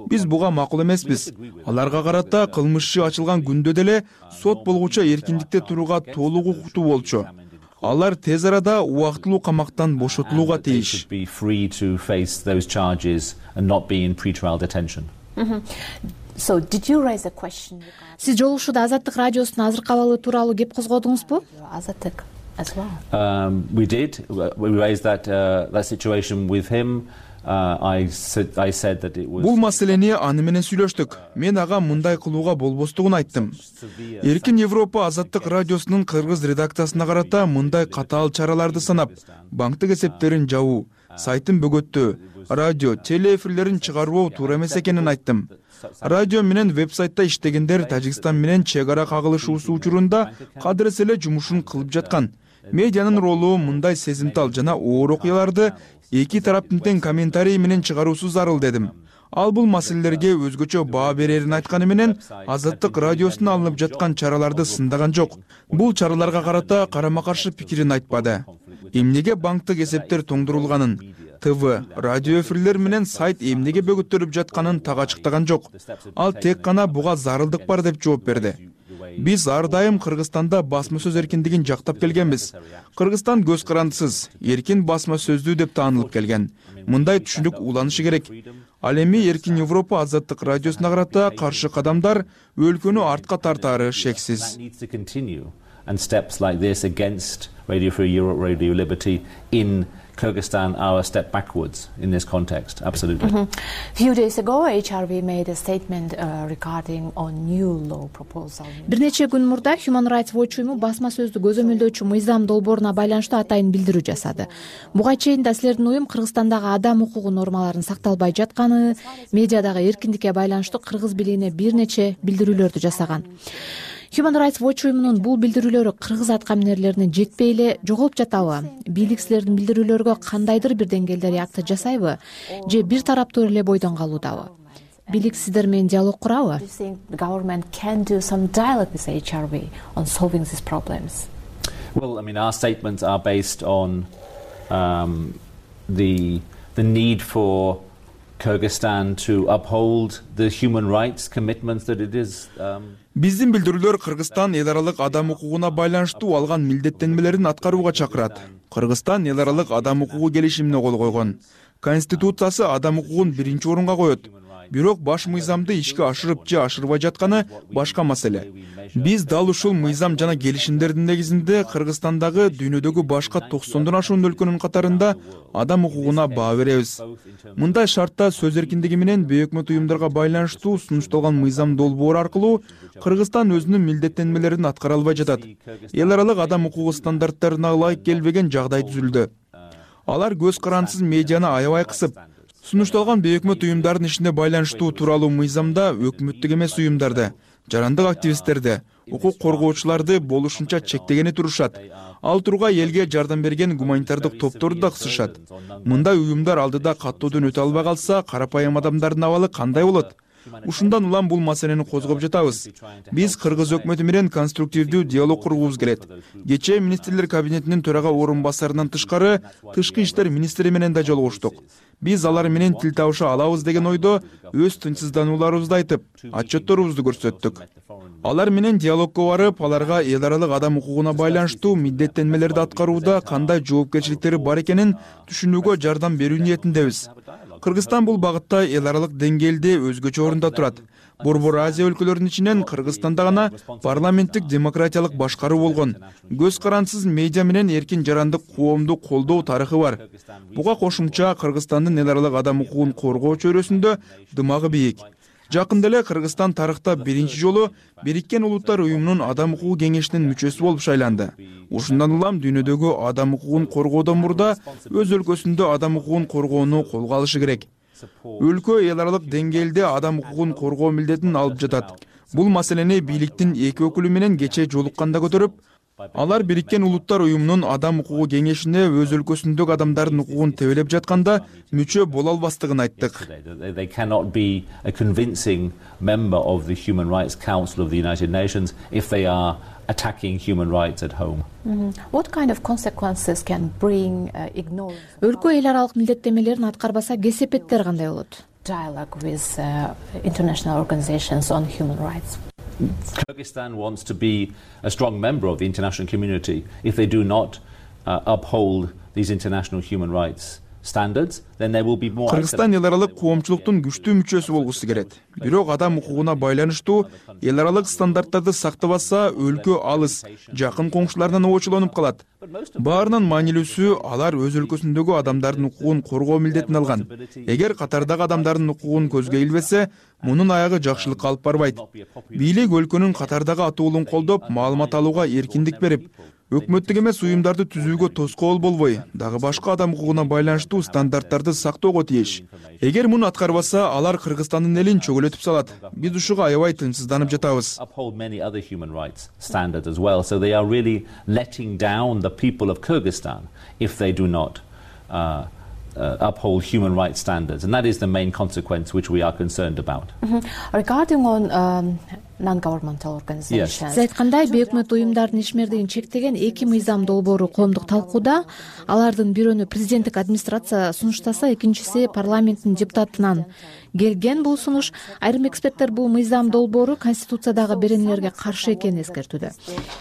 Биз буга макул эмеспиз. Аларга карата кылмыш иши ачылган күндө деле сот болгуча эркиндикте турууга толук укуктуу болчу. Алар тез арада убактылуу камактан бошотулууга тийиш. So did you raise a question? Сиз жолугушууда Азаттык радиосунун азыркы абалы тууралуу кеп козгодуңузбу? Азаттык as well. Um, we did. We raised that uh, that situation with him. Uh, I said I said that it was. Бул маселени аны менен сүйлөштүк. Мен ага мындай кылууга болбостугун айттым. Эркин Европа Азаттык радиосунун кыргыз редакциясына карата мындай катаал чараларды санап, банктык эсептерин жабуу, сайтын бөгөттөө, радио, телеэфирлерин чыгарбоо туура эмес экенин айттым. Радио менен веб-сайтта иштегендер Тажикстан менен чек ара кагылышуусу учурунда кадырыс эле жумушун кылып жаткан. Медианын ролу мындай сезимтал жана оор окуяларды эки тараптын тең комментарий менен чыгаруусу зарыл дедим. Ал бул маселелерге өзгөчө баа берерин айтканы менен Азаттык радиосунун алынып жаткан чараларды сындаган жок. Бул чараларга карата карама-каршы пикирин айтпады. Эмнеге банктык эсептер тоңдурулганын, ТВ, радио эфирлер менен сайт эмнеге бөгөттөлүп жатканын так ачыктаган жок. Ал тек гана буга зарылдык бар деп жооп берди. Биз ар дайым Кыргызстанда басма сөз эркиндигин жактап келгенбиз. Кыргызстан көз карандысыз, эркин басма сөздүү деп таанылып келген. Мындай түшүнүк уланышы керек. Ал эми Эркин Европа Азаттык радиосуна карата каршы кадамдар өлкөнү артка тартаары шексиз. And steps like this against Radio Free Europe, Radio Liberty in Kyrgyzstan are a step backwards in this context. Absolutely. Mm-hmm. A few days ago, H R V made a statement uh, regarding a new law proposal. Бир нече күн мурда Human Rights Watch уюму басма сөздү көзөмөлдөөчү мыйзам долбооруна байланыштуу атайын билдирүү жасады. Буга чейин да силердин уюм Кыргызстандагы адам укугу нормаларын сакталбай жатканы, медиадагы эркиндикке байланыштуу кыргыз бийлигине бир нече билдирүүлөрдү жасаган. Human Rights Watch уюмунун бул билдирүүлөрү кыргыз аткаминерлерине жетпей эле жоголуп жатабы? Бийлик силердин билдирүүлөргө кандайдыр бир деңгээлде реакция жасайбы? Же бир тараптуу эле бойдон калуудабы? Бийлик сиздер менен диалог курабы? Government can do some dialogue with H R V on solving these problems. Well, I mean, our statements are based on um, the the need for Kyrgyzstan to uphold the human rights commitments that it is. Um, Биздин билдирүүлөр Кыргызстан эл аралык адам укугуна байланыштуу алган милдеттенмелерин аткарууга чакырат. Кыргызстан эл аралык адам укугу келишимине кол койгон. Конституциясы адам укугун биринчи орунга коет. Бирок баш мыйзамды ишке ашырып же ашырбай жатканы башка маселе. Биз дал ушул мыйзам жана келишимдердин негизинде Кыргызстандагы дүйнөдөгү башка токсондон ашуун өлкөнүн катарында адам укугуна баа беребиз. Мындай шартта сөз эркиндиги менен бейөкмөт уюмдарга байланыштуу сунушталган мыйзам долбоору аркылуу Кыргызстан өзүнүн милдеттенмелерин аткара албай жатат. Эл аралык адам укугу стандарттарына ылайык келбеген жагдай түзүлдү. Алар көз карандысыз медианы аябай кысып, сунушталган бейөкмөт уюмдардын ишине байланыштуу тууралуу мыйзамда өкмөттүк эмес уюмдарды, жарандык активисттерди, укук коргоочуларды болушунча чектегени турушат. Ал турга элге жардам берген гуманитардык топторду да кысышат. Мындай уюмдар алдыда каттоодон өтө албай калса, карапайым адамдардын абалы кандай болот? Ушундан улам бул маселени козгоп жатабыз. Биз кыргыз өкмөтү менен конструктивдүү диалог кургубуз келет. Кечээ министрлер кабинетинин төрага орун басарынан тышкары тышкы иштер министри менен да жолугуштук. Биз алар менен тил табыша алабыз деген ойдо өз тынчсызданууларыбызды айтып, отчетторубузду көрсөттүк. Алар менен диалогко барып, аларга эл аралык адам укугуна байланыштуу милдеттенмелерди аткарууда кандай жоопкерчиликтери бар экенин түшүнүүгө жардам берүү ниетиндебиз. Кыргызстан бул багытта эл аралык деңгээлде өзгөчө орунда турат. Борбор Азия өлкөлөрүнүн ичинен Кыргызстанда гана парламенттик демократиялык башкаруу болгон. Көз карандысыз медиа менен эркин жарандык коомду колдоо тарыхы бар. Буга кошумча Кыргызстандын эл аралык адам укугун коргоо чөйрөсүндө дымагы бийик. Жакында эле Кыргызстан тарыхта биринчи жолу Бириккен Улуттар уюмунун адам укугу кеңешинин мүчөсү болуп шайланды. Ушундан улам дүйнөдөгү адам укугун коргоодон мурда өз өлкөсүндө адам укугун коргоону колго алышы керек. Өлкө эл аралык деңгээлде адам укугун коргоо милдетин алып жатат. Бул маселени бийликтин эки өкүлү менен кечээ жолукканда көтөрүп, алар Бириккен Улуттар уюмунун адам укугу кеңешине өз өлкөсүндөгү адамдардын укугун тебелеп жатканда мүчө боло албастыгын айттык. They cannot be a convincing member of the Human Rights Council of the United Nations if they are attacking human rights at home. Mm-hmm. What kind of consequences can bring uh, ignorance? Өлкө эл аралык милдеттенмелерин аткарбаса кесепеттер кандай болот? Dialogue with uh, international organizations on human rights. Kyrgyzstan wants to be a strong member of the international community. If they do not uh, uphold these international human rights standards, then there will be more. Кыргызстан эл аралык коомчулуктун күчтүү мүчөсү болгусу келет. Бирок адам укугуна байланыштуу эл аралык стандарттарды сактабаса, өлкө алыс, жакын коңшуларынан обочолонуп калат. Баарынан маанилүүсү, алар өз өлкөсүндөгү адамдардын укугун коргоо милдетин алган. Эгер катардагы адамдардын укугун көзгө илбесе, мунун аягы жакшылыкка алып барбайт. Бийлик өлкөнүн катардагы атуулун колдоп, маалымат алууга эркиндик берип, өкмөттүк эмес уюмдарды түзүүгө тоскоол болбой, дагы башка адам укугуна байланыштуу стандарттарды сактоого тийиш. Эгер муну аткарбаса, алар Кыргызстандын элин чөгөлөтүп салат. Биз ушуга аябай тынчсызданып жатабыз. Uh, uh, uphold human rights standards, and that is the main consequence which we are concerned about. Mm-hmm. Regarding on um, non-governmental organizations. Yes. Сиз айткандай, бейөкмөт уюмдардын ишмердигин чектеген эки мыйзам долбоору коомдук талкууда. Алардын бирөөнү президенттик администрация сунуштаса, экинчиси парламенттин депутатынан келген. Бул сунуш айрым эксперттер бул мыйзам долбоору конституциядагы беренелерге каршы экенин эскертүүдө.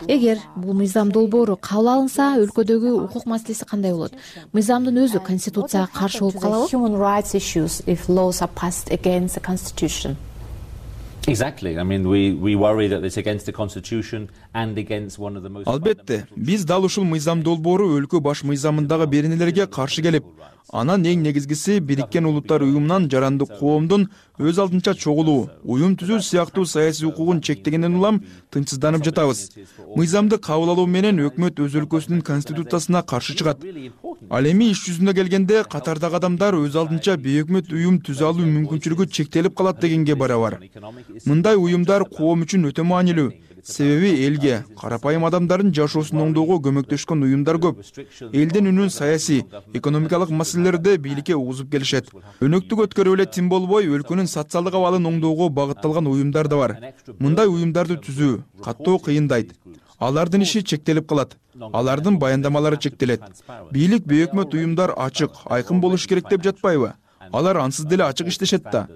Эгер бул мыйзам долбоору кабыл алынса, өлкөдөгү укук маселеси кандай болот? Мыйзамдын өзү конституцияга каршы болуп калабы? Human rights issues if laws are passed against the constitution. Exactly. I mean, we we worry that it's against the constitution and against one of the most. Албетте, биз дал ушул мыйзам долбоору өлкө баш мыйзамындагы беренелерге каршы келип, анан эң негизгиси Бириккен Улуттар уюмунан жарандык коомдун өз алдынча чогулуу, уюм түзүү сыяктуу саясий укугун чектегенден улам тынчсызданып жатабыз. Мыйзамды кабыл алуу менен өкмөт өз өлкөсүнүн конституциясына каршы чыгат. Ал эми иш жүзүнө келгенде катардагы адамдар өз алдынча бейөкмөт уюм түзө алуу мүмкүнчүлүгү чектелип калат дегенге барабар. Мындай уюмдар коом үчүн өтө маанилүү. Себеби элге, карапайым адамдардын жашоосун оңдоого көмөктөшкөн уюмдар көп. Элдин үнүн саясий, экономикалык маселелерде бийликке угузуп келишет. Өнөктүк өткөрүп эле тим болбой, өлкөнүн социалдык абалын оңдоого багытталган уюмдар да бар. Мындай уюмдарды түзүү каттоо кыйындайт. Алардын иши чектелип калат. Алардын баяндамалары чектелет. Бийлик бейөкмөт уюмдар ачык, айкын болуш керек деп жатпайбы? Алар ансыз деле ачык иштешет да.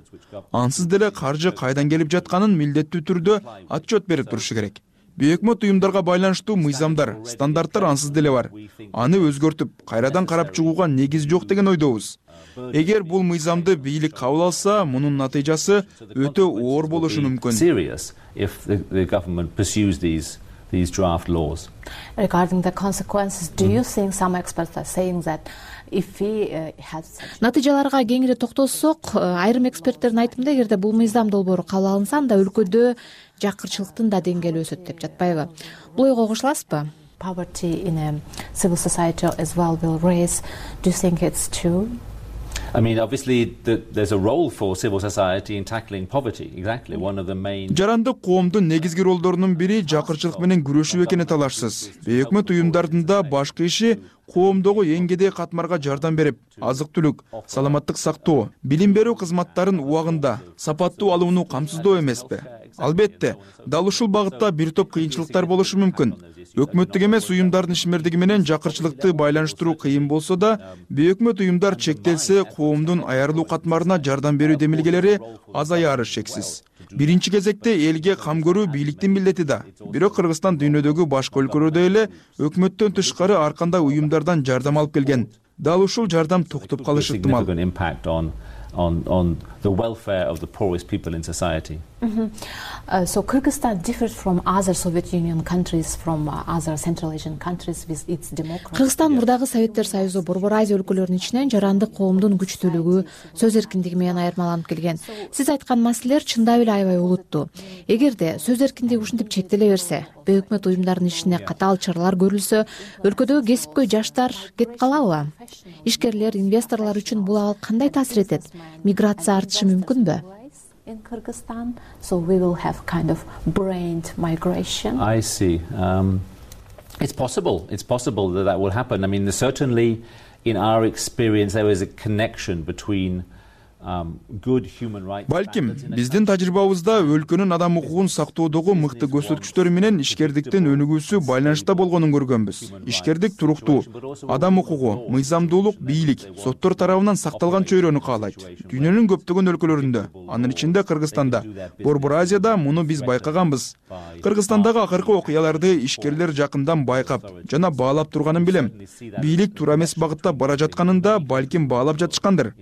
Ансыз деле каржы кайдан келип жатканын милдеттүү түрдө отчет берип турушу керек. Бейөкмөт уюмдарга байланыштуу мыйзамдар, стандарттар ансыз деле бар. Аны өзгөртүп, кайрадан карап чыгууга негиз жок деген ойдобуз. Эгер бул мыйзамды бийлик кабыл алса, мунун натыйжасы өтө оор болушу мүмкүн. These draft laws. Regarding the consequences, do you think some experts are saying that if we uh, had натыйжаларга кеңири токтолсок, айрым эксперттердин айтымында, эгерде бул мыйзам долбоору кабыл алынса, анда өлкөдө жакырчылыктын да деңгээли өсөт деп жатпайбы? Бул ойго кошуласызбы? Poverty in a civil society as well will raise. Do you think it's true? I mean, obviously, the, there's a role for civil society in tackling poverty. Exactly, one of the main. Жарандык коомдун негизги ролдорунун бири жакырчылык менен күрөшүү экени талашсыз. Бейөкмөт уюмдардын да башкы иши коомдогу эң кедей катмарга жардам берип, азык-түлүк, саламаттык сактоо, билим берүү кызматтарын убагында, сапаттуу алууну камсыздоо эмеспи? Албетте, дал ушул багытта бир топ кыйынчылыктар болушу мүмкүн. Өкмөттүк эмес уюмдардын ишмердиги менен жакырчылыкты байланыштыруу кыйын болсо да, бейөкмөт уюмдар чектелсе, коомдун аярылуу катмарына жардам берүү демилгелери азаяры шексиз. Биринчи кезекте элге кам көрүү бийликтин милдети да. Бирок Кыргызстан дүйнөдөгү башка өлкөлөрдө эле өкмөттөн тышкары ар кандай уюмдардан жардам алып келген. Дал ушул жардам токтоп калышы ыктымал. On, on the welfare of the poorest people in society. Mm-hmm. uh, so Kyrgyzstan differs from other Soviet Union countries, from uh, other Central Asian countries with its democracy. Кыргызстан мурдагы Советтер Союзу, Борбор Азия өлкөлөрүнүн ичинен жарандык коомдун күчтүүлүгү, сөз эркиндиги менен айырмаланып келген. Сиз айткан маселелер чындап эле аябай олуттуу. Эгерде сөз эркиндиги ушинтип чектеле берсе, бейөкмөт уюмдардын ишине катаал чаралар көрүлсө, өлкөдөгү кесипкөй жаштар кетип калабы? Ишкерлер, инвесторлор үчүн бул абал кандай таасир этет? Миграция артышы мүмкүнбү? In Kyrgyzstan, so we will have kind of brained migration. I see. Um, it's possible. It's possible that that will happen. I mean, certainly, in our experience, there is a connection between um, good human rights. Балким, биздин тажрыйбабызда өлкөнүн адам укугун сактоодогу мыкты көрсөткүчтөрү менен ишкердиктин өнүгүүсү байланышта болгонун көргөнбүз. Ишкердик туруктуу, адам укугу, мыйзамдуулук, бийлик, соттор тарабынан сакталган чөйрөнү каалайт. Дүйнөнүн көптөгөн өлкөлөрүндө, анын ичинде Кыргызстанда, Борбор Азияда муну биз байкаганбыз. Кыргызстандагы акыркы окуяларды ишкерлер жакындан байкап жана баалап турганын билем. Бийлик туура эмес багытта бара жатканын да балким баалап жатышкандыр.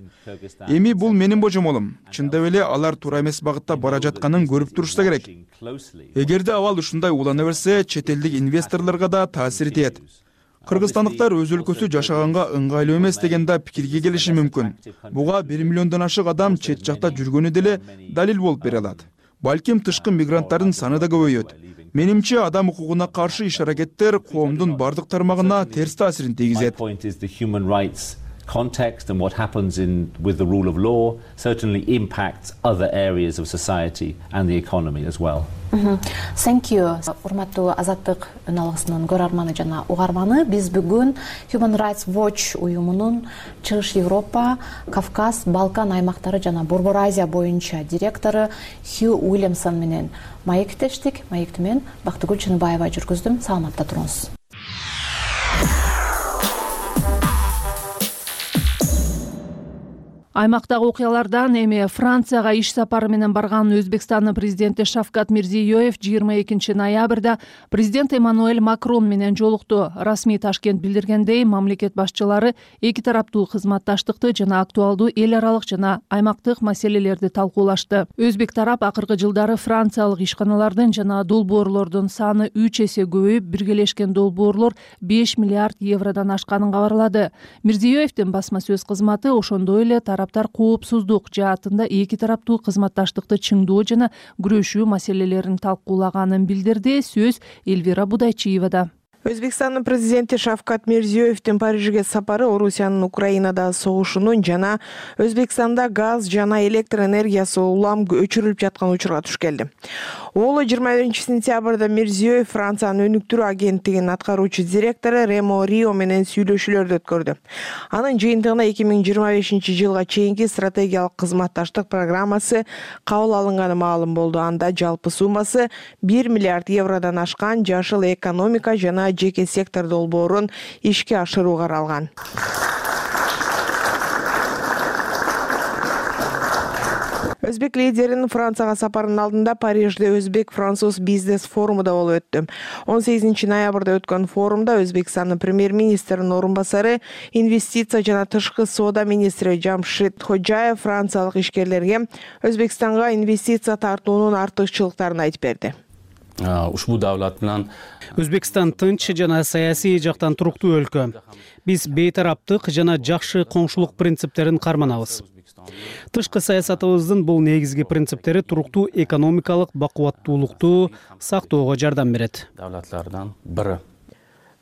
Эми бул менин божомолум. Чындап эле алар туура эмес багытта бара жатканын көрүп турушса керек. Эгерде абал ушундай улана берсе, чет элдик инвесторлорго да таасир этет. Кыргызстандыктар өз өлкөсү жашаганга ыңгайлуу эмес деген да пикирге келиши мүмкүн. Буга бир миллиондон ашык адам чет жакта жүргөнү деле далил болуп бере алат. Балким тышкы мигранттардын саны да көбөйөт. Менимче адам укугуна каршы иш-аракеттер коомдун бардык тармагына терс таасирин тийгизет. Context and what happens in with the rule of law certainly impacts other areas of society and the economy as well. Thank you. Урматтуу Азаттык үналгысынын көрөрманы жана угарманы, биз бүгүн Human Rights Watch уюмунун Чыгыш Европа, Кавказ, Балкан аймактары жана Борбор Азия боюнча директору Хью Уильямсон менен маектештик. Маекти мен Бактыгүл Чыныбаева жүргүздүм. Саламатта туруңуз. Аймактагы окуялардан эми Францияга иш сапары менен барган Өзбекстандын президенти Шавкат Мирзиёев жыйырма экинчи ноябрда президент Эммануэль Макрон менен жолукту. Расмий Ташкент билдиргендей, мамлекет башчылары эки тараптуу кызматташтыкты жана актуалдуу эл аралык жана аймактык маселелерди талкуулашты. Өзбек тарап акыркы жылдары франциялык ишканалардын жана долбоорлордун саны үч эсе көбөйүп, биргелешкен долбоорлор беш миллиард евродон ашканын кабарлады. Мирзиёевдин басма сөз кызматы ошондой эле тараптар коопсуздук жаатында эки тараптуу кызматташтыкты чыңдоо жана күрөшүү маселелерин талкуулаганын билдирди. Сөз Эльвира Будайчиевада. Өзбекстандын президенти Шавкат Мирзиёевдин Парижге сапары Орусиянын Украинада согушунун жана Өзбекстанда газ жана электр энергиясы улам өчүрүлүп жаткан учурга туш келди. Ол жыйырма биринчи сентябрда Мирзиёев Франциянын өнүктүрүү агенттигинин аткаруучу директору Ремо Рио менен сүйлөшүүлөрдү өткөрдү. Анын жыйынтыгына эки миң жыйырма бешинчи жылга чейинки стратегиялык кызматташтык программасы кабыл алынганы маалым болду. Анда жалпы суммасы бир миллиард евродон ашкан жашыл экономика жана жеке сектор долбоорун ишке ашыруу каралган. Өзбек лидеринин Францияга сапарынын алдында Парижде Өзбек-Француз бизнес форуму да болуп өттү. он сегизинчи ноябрда өткөн форумда Өзбекстандын премьер-министринин орун басары, инвестиция жана тышкы соода министри Жамшид Ходжаев франциялык ишкерлерге Өзбекстанга инвестиция тартуунун артыкчылыктарын айтып берди. Ушбу давлат менен Өзбекстан тынч жана саясий жактан туруктуу өлкө. Биз бейтараптык жана жакшы коңшулук принциптерин карманабыз. Тышкы саясатыбыздын бул негизги принциптери туруктуу экономикалык бакубаттуулукту сактоого жардам берет. Давлатлардан бири.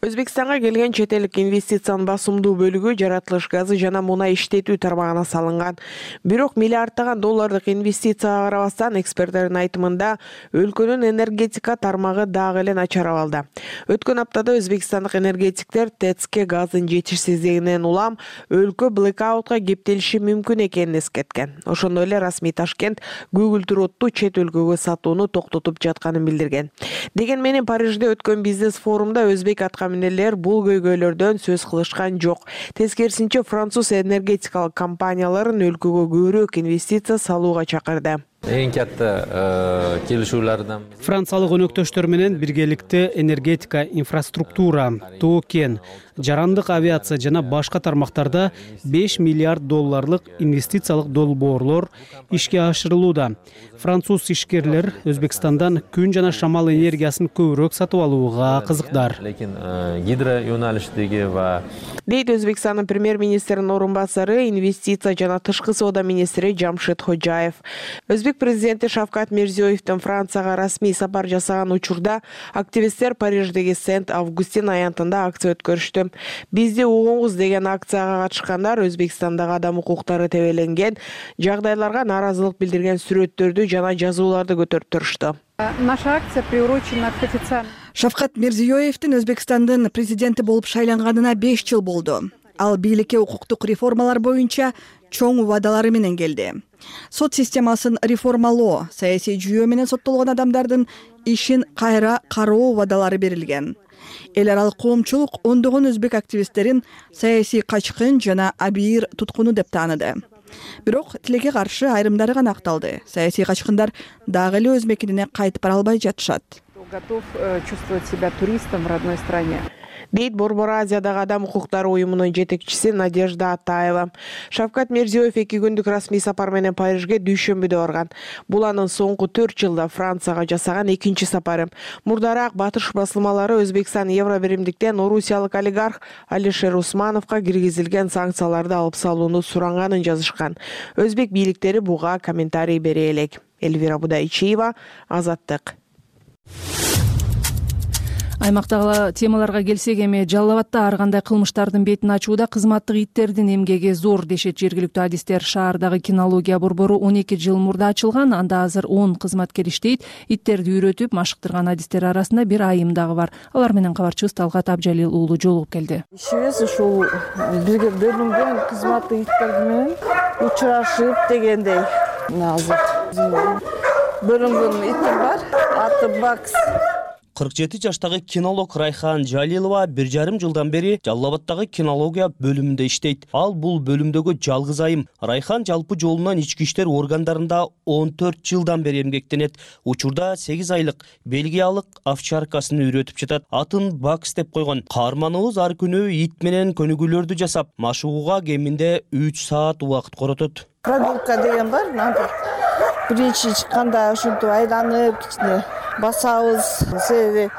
Өзбекстанга келген чет элдик инвестициянын басымдуу бөлүгү жаратылыш газы жана мунай иштетүү тармагына салынган. Бирок миллиарддаган доллардык инвестицияга карабастан, эксперттердин айтымында өлкөнүн энергетика тармагы дагы эле начар абалда. Өткөн аптада өзбекстандык энергетиктер ТЭЦке газдын жетишсиздигинен улам өлкө блэкаутка кептелиши мүмкүн экенин эскерткен. Ошондой эле расмий Ташкент Google Тродту чет өлкөгө сатууну токтотуп жатканын билдирген. Деген менен Парижде өткөн бизнес форумда өзбек аткаминерлер бул көйгөйлөрдөн сөз кылышкан жок. Тескерисинче, француз энергетикалык компанияларын өлкөгө көбүрөөк инвестиция салууга чакырды. Эң катта келишүүлөрдөн Франциялык өнөктөштөр менен биргеликте энергетика, инфраструктура, тоо кен, жарандык авиация жана башка тармактарда беш миллиард долларлык инвестициялык долбоорлор ишке ашырылууда. Француз ишкерлер Өзбекстандан күн жана шамал энергиясын көбүрөөк сатып алууга кызыктар. Лекин гидро юналиштиги ва дейт Өзбекстандын премьер-министринин орун басары, инвестиция жана тышкы соода министри Жамшид Ходжаев. Өзбек президенти Шавкат Мирзиёевдин Францияга расмий сапар жасаган учурда активисттер Париждеги Сент-Августин аянтында акция өткөрүштү. Бизди угуңуз деген акцияга катышкандар Өзбекстандагы адам укуктары тебеленген жагдайларга нааразылык билдирген сүрөттөрдү жана жазууларды көтөрүп турушту. Наша акция приурочена к официальному. Шавкат Мирзиёевдин Өзбекстандын президенти болуп шайланганына беш жыл болду. Ал бийликке укуктук реформалар боюнча чоң убадалары менен келди. Сот системасын реформалоо, саясий жүйөө менен соттолгон адамдардын ишин кайра кароо убадалары берилген. Эл аралык коомчулук ондогон өзбек активисттерин саясий качкын жана абийир туткуну деп тааныды. Бирок тилекке каршы айрымдары гана акталды. Саясий качкындар дагы эле өз мекенине кайтып бара албай жатышат. Готов чувствовать себя туристом в родной стране. дейт Борбор Азиядагы адам укуктары уюмунун жетекчиси Надежда Атаева. Шавкат Мирзиёев эки күндүк расмий сапар менен Парижге дүйшөмбүдө барган. Бул анын соңку төрт жылда Францияга жасаган экинчи сапары. Мурдараак батыш басылмалары Өзбекстан евро биримдиктен орусиялык олигарх Алишер Усмановго киргизилген санкцияларды алып салууну суранганын жазышкан. Өзбек бийликтери буга комментарий бере элек. Эльвира Будайчиева, Азаттык. Аймактагы темаларга келсек, эми Жалал Абадда ар кандай кылмыштардын бетин ачууда кызматтык иттердин эмгеги зор дешет жергиликтүү адистер. Шаардагы кинология борбору он эки жыл мурда ачылган, анда азыр он кызматкер иштейт. Иттерди үйрөтүп машыктырган адистер арасында бир айым дагы бар. Алар менен кабарчыбыз Талгат Абжалил уулу жолугуп келди. Ишибиз ушул бирге бөлүнгөн кызматтык иттер менен учурашып дегендей. Азыр бөлүнгөн итим бар, аты Бакс. кырк жети жаштагы кинолог Райхан Жалилова бир жарым жылдан бери Жалал Абаддагы кинология бөлүмүндө иштейт. Ал бул бөлүмдөгү жалгыз айым. Райхан жалпы жолунан ички иштер органдарында он төрт жылдан бери эмгектенет. Учурда сегиз айлык бельгиялык овчаркасын үйрөтүп жатат. Атын Бакс деп койгон. Каарманыбыз ар күнү ит менен көнүгүүлөрдү жасап, машыгууга кеминде үч саат убакыт коротот. Прогулка деген бар. Биринчи чыкканда ушинтип айланып кичине басабыз, себеби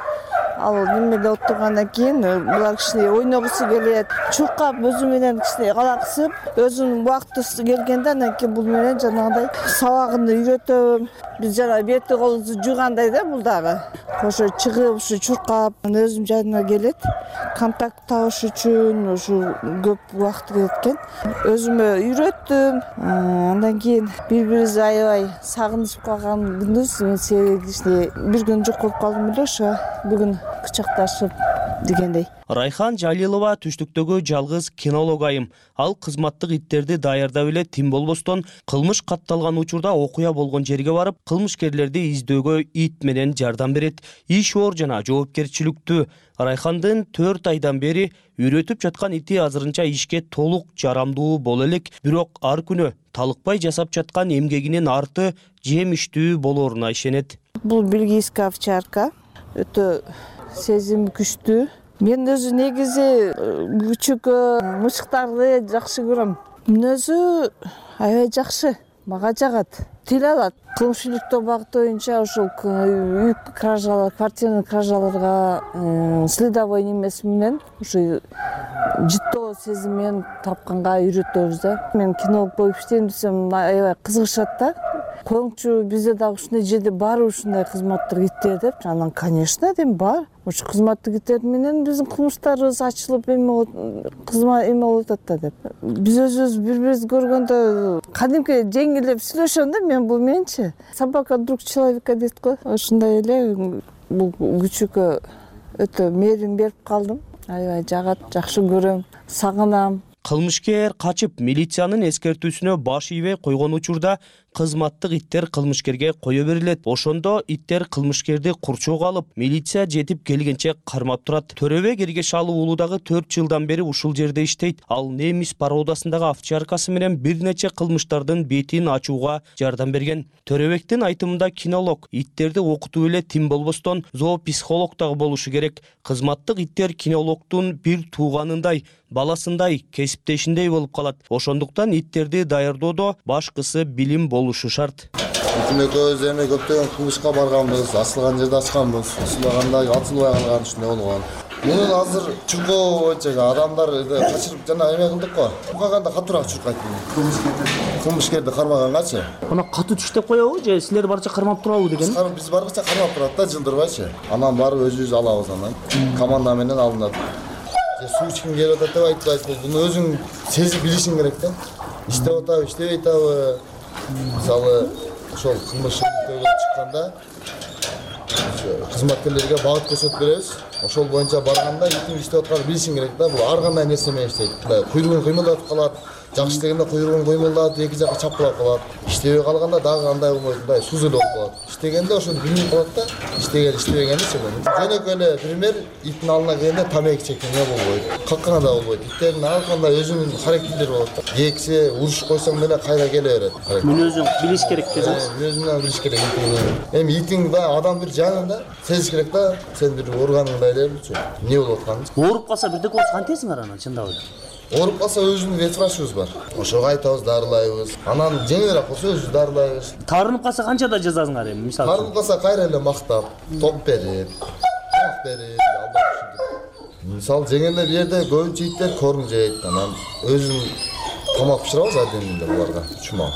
ал немеде отургандан кийин булар кичине ойногусу келет. Чуркап өзү менен кичине калаксып, өзүнүн убакыты келгенде анан кийин бул менен жанагындай сабагын үйрөтөм. Биз жана бети колубузду жуугандай да бул дагы. Ошо чыгып, ушу чуркап, өзүм жанына келет. Контакт табыш үчүн ушу көп убакыт кетет экен. Өзүмө үйрөттүм. Андан кийин бири-бирибизди аябай сагынышып калган күнүбүз. Мен сегизде бир күн жок болуп калдым эле, ошо бүгүн кучакташып дегендей. Райхан Жалилова түштүктөгү жалгыз кинолог айым. Ал кызматтык иттерди даярдап эле тим болбостон, кылмыш катталган учурда окуя болгон жерге барып, кылмышкерлерди издөөгө ит менен жардам берет. Иш оор жана жоопкерчиликтүү. Райхандын төрт айдан бери үйрөтүп жаткан ити азырынча ишке толук жарамдуу боло элек, бирок ар күнү талыкпай жасап жаткан эмгегинин арты жемиштүү болоруна ишенет. Бул бельгийская овчарка, өтө сезим күчтүү. Мен өзү негизи күчүк мышыктарды жакшы көрөм. Мүнөзү аябай жакшы, мага жагат. Тил алат. Коомчулуктуу багыт боюнча ушул үй кражалар, квартирный кражаларга следовой немеси менен ушу жыттоо сезимин тапканга үйрөтөбүз да. Мен кинолог болуп иштейм десем, аябай кызыгышат да. Коңчу бизде дагы ушундай жерде барбы ушундай кызматтык иттер деп. Анан, конечно, дейм, бар. Ушу кызматтык иттер менен биздин кылмыштарыбыз ачылып эме кызмат эме болуп атат да деп. Биз өзүбүз бири-бирибизди көргөндө кадимки жеңилдеп сүйлөшөм да мен бул менчи. Собака друг человека дейт го. Ошондой эле бул күчүккө өтө мээрим берип калдым. Аябай жагат, жакшы көрөм, сагынам. Кылмышкер качып милициянын эскертүүсүнө баш ийбей койгон учурда кызматтык иттер кылмышкерге кое берилет. Ошондо иттер кылмышкерди курчоого алып, милиция жетип келгенче кармап турат. Төрөбек Эргешалов уулу дагы төрт жылдан бери ушул жерде иштейт. Ал немис породасындагы овчаркасы менен бир нече кылмыштардын бетин ачууга жардам берген. Төрөбектин айтымында кинолог иттерди окутуп эле тим болбостон зоопсихолог дагы болушу керек. Кызматтык иттер кинологдун бир тууганындай, баласындай, кесиптешиндей болуп калат. Ошондуктан иттерди даярдоодо башкысы билим болушу шарт. Экөөбүз эми көптөгөн кылмышка барганбыз, ачылган жерде ачканбыз, ачылбаганда ачылбай калган ушундай болгон. Мунун азыр чуркоо боюнча адамдар качырып жана эме кылдык го. Чуркаганда катуураак чуркайт. Кылмышкерди кармагангачы. Ана катуу түштөп коебу же силер барча кармап турабы деген? Биз барча кармап турат да, жылдырбайчы. Анан барып өзүбүз алабыз анан. Команда менен алынат. Суу ичким келип атат деп айтпайсыз. Буну өзүң сезип билишиң керек да. Иштеп атабы, иштебей атабы. Мисалы, ошол кылмыш чыкканда кызматкерлерге багыт көрсөтүп беребиз. Ошол боюнча барганда итиң иштеп атканын билишиң керек да. Бул ар кандай нерсе менен иштейт. Куйругун кыймылдатып калат. Жакшы дегенде куйругун кыймылдатып эки жака чапкылап калат. Иштебей калганда дагы андай болбойт, мындай суз эле болуп калат. Иштегенде ошону билип калат да. Иштеген иштебегенди чыгат. Жөнөкөй эле пример, иттин алдына келгенде тамеки чеккенге болбойт. Каккана да болбойт. Иттердин ар кандай өзүнүн характерлери болот да. Кексе, уруш койсоң деле кайра келе берет. Мүнөзүн билиш керек десеңиз. Мүнөзүн билиш керек. Эми итиң да адам бир жанында сезиш керек да. Сен бир органыңдай элечи. Эмне болуп атканын. Ооруп калса бирдек болсо кантесиңер анан чындап эле? Ооруп калса өзүнүн ветврачыбыз бар. Ошого айтабыз, дарылайбыз. Анан жеңилирээк болсо өзүбүз дарылайбыз. Таарынып калса канчада жазасыңар эми мисалы? Таарынып калса кайра эле мактап, топ берип, тамак берип, алдап ушинтип. Мисалы жеңелде бир жерде көбүнчө иттер корм жейт. Анан өзүн тамак бышырабыз адеминде буларга. Чума.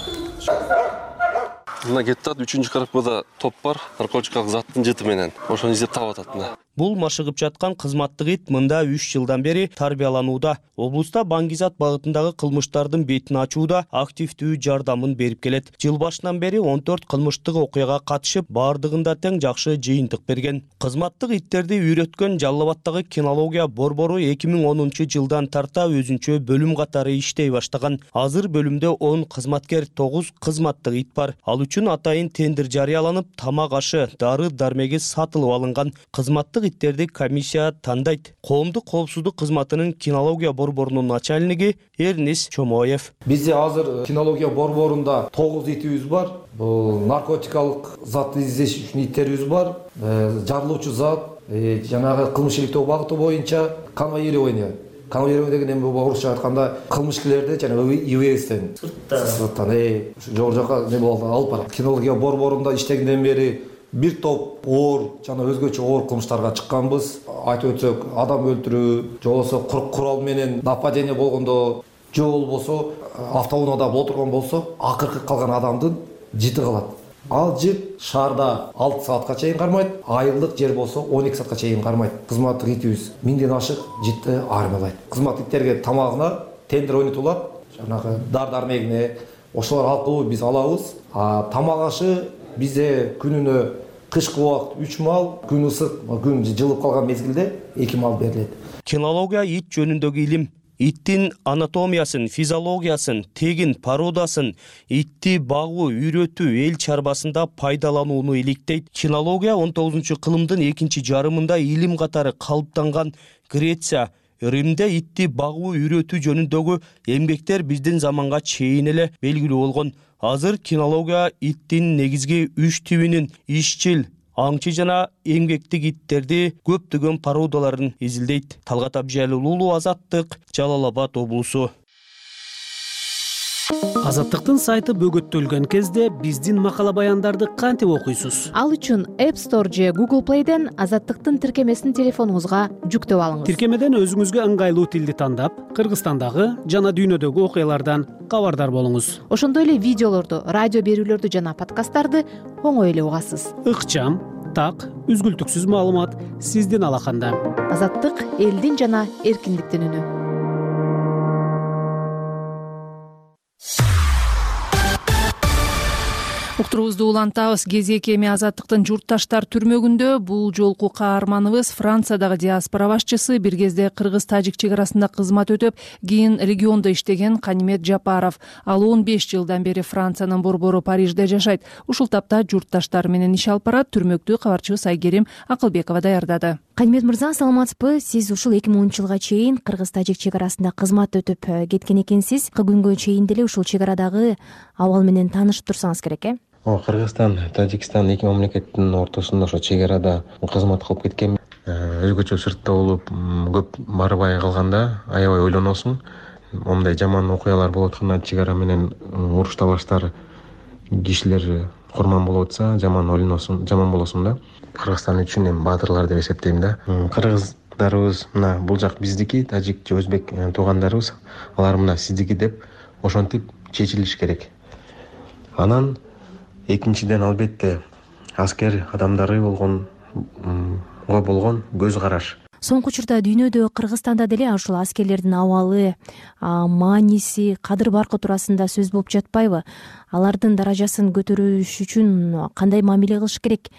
Мына Геттат үчүнчү коробкада топ бар, наркотикалык заттын жыты менен. Ошону издеп таап атат мына. Бул машыгып жаткан кызматтык ит мында үч жылдан бери тарбияланууда. Облуста баңгизат багытындагы кылмыштардын бетин ачууда активдүү жардамын берип келет. Жыл башынан бери он төрт кылмыштык окуяга катышып, бардыгында тең жакшы жыйынтык берген. Кызматтык иттерди үйрөткөн Жалал Абадтагы кинология борбору эки миң онунчу жылдан тарта өзүнчө бөлүм катары иштей баштаган. Азыр бөлүмдө он кызматкер, тогуз кызматтык ит бар. Ал үчүн атайын тендер жарыяланып, тамак ашы, дары дармеги сатылып алынган. Кызматтык иттерди комиссия тандайт. Коомдук коопсуздук кызматынын кинология борборунун начальниги Эрнис Чомоев. Бизде азыр кинология борборунда тогуз итибиз бар. Бул наркотикалык затты издеш үчүн иттерибиз бар. Жарылуучу зат, жанагы кылмыш иликтөө багыты боюнча конвоирование. Конвоирование деген эми орусча айтканда кылмышкерлерди жана ИВСтен сырттан жогору жака не болду алып барат. Кинология борборунда иштегенден бери бир топ оор жана өзгөчө оор кылмыштарга чыкканбыз. Айтып өтсөк, адам өлтүрүү, же болбосо курал менен нападение болгондо, же болбосо автоунаада отурган болсо, акыркы калган адамдын жыты калат. Ал жыт шаарда алты саатка чейин кармайт, айылдык жер болсо он эки саатка чейин кармайт. Кызматтык итибиз миңден ашык жытты армиялайт. Кызматтык иттерге тамагына тендер ойнотулат, жанагы дар дармегине ошолор аркылуу биз алабыз. А тамак ашы бизде күнүнө кышкы убакыт үч мал, күн ысык, күн жылып калган мезгилде эки мал берилет. Кинология ит жөнүндөгү илим. Иттин анатомиясын, физиологиясын, тегин породасын, итти багуу, үйрөтүү эл чарбасында пайдаланууну иликтейт. Кинология он тогузунчу кылымдын экинчи жарымында илим катары калыптанган. Греция, Римде итти багуу, үйрөтүү жөнүндөгү эмгектер биздин заманга чейин эле белгилүү болгон. Азыр кинология иттин негизги үч тибинин ишчил, аңчы жана эмгектик иттерди көптөгөн породаларын изилдейт. Талгат Абжалылуулу, Азаттык, Жалал Абад облусу. Азаттыктын сайты бөгөттөлгөн кезде биздин макала баяндарды кантип окуйсуз? Ал үчүн App Store же Google Play'ден Азаттыктын тиркемесин телефонуңузга жүктөп алыңыз. Тиркемеден өзүңүзгө ыңгайлуу тилди тандап, Кыргызстандагы жана дүйнөдөгү окуялардан кабардар болуңуз. Ошондой эле видеолорду, радио берүүлөрдү жана подкасттарды оңой эле угасыз. Ыкчам, так, үзгүлтүксүз маалымат сиздин алаканда. Азаттык элдин жана эркиндиктин үнү. Уктуруубузду улантабыз. Кезек эми Азаттыктын журтташтар түрмөгүндө бул жолку каарманыбыз Франциядагы диаспора башчысы, бир кезде кыргыз-тажик чек арасында кызмат өтөп, кийин региондо иштеген Канимет Жапаров. Ал он беш жылдан бери Франциянын борбору Парижде жашайт. Ушул тапта журтташтар менен иш алып барат. Түрмөктү кабарчыбыз Айгерим Акылбекова даярдады. Канимет мырза, саламатсызбы? Сиз ушул эки миң онунчу жылга чейин кыргыз-тажик чек арасында кызмат өтүп кеткен экенсиз. Күнгө чейин деле ушул чек арадагы абал менен таанышып турсаңыз керек, э? Кыргызстан, Тажикстан эки мамлекеттин ортосунда ошо чек арада кызмат кылып кеткем. Өзгөчө сыртта болуп, көп барбай калганда аябай ойлоносуң. Момундай жаман окуялар болуп атканда, чек ара менен уруш талаштар кишилер курман болуп атса, жаман ойлоносуң, жаман болосуң да. Кыргызстан үчүн эми баатырлар деп эсептейм да. Кыргыздарыбыз мына бул жак биздики, тажик же өзбек туугандарыбыз, алар мына сиздики деп ошентип чечилиш керек. Анан экинчиден албетте аскер адамдары болгон го болгон көз караш. Соңку учурда дүйнөдө, Кыргызстанда деле ушул аскерлердин абалы, мааниси, кадыр баркы туурасында сөз болуп жатпайбы? Алардын даражасын көтөрүш үчүн кандай мамиле кылыш керек?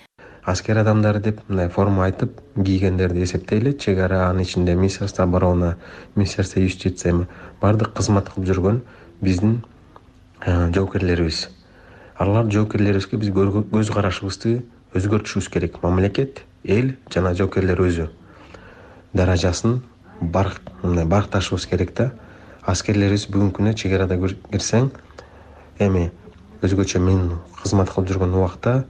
Аскер адамдары деп мындай форма айтып кийгендерди эсептейли. Чек ара, анын ичинде Министерство обороны, Министерство юстиция бардык кызмат кылып жүргөн биздин жоокерлерибиз. Алар жоокерлерибизге биз көз карашыбызды өзгөртүшүбүз керек. Мамлекет, эл жана жоокерлер өзү даражасын баркташыбыз керек да. Аскерлерибиз бүгүнкү күнү чек арада кирсең, эми өзгөчө мен кызмат кылып жүргөн убакта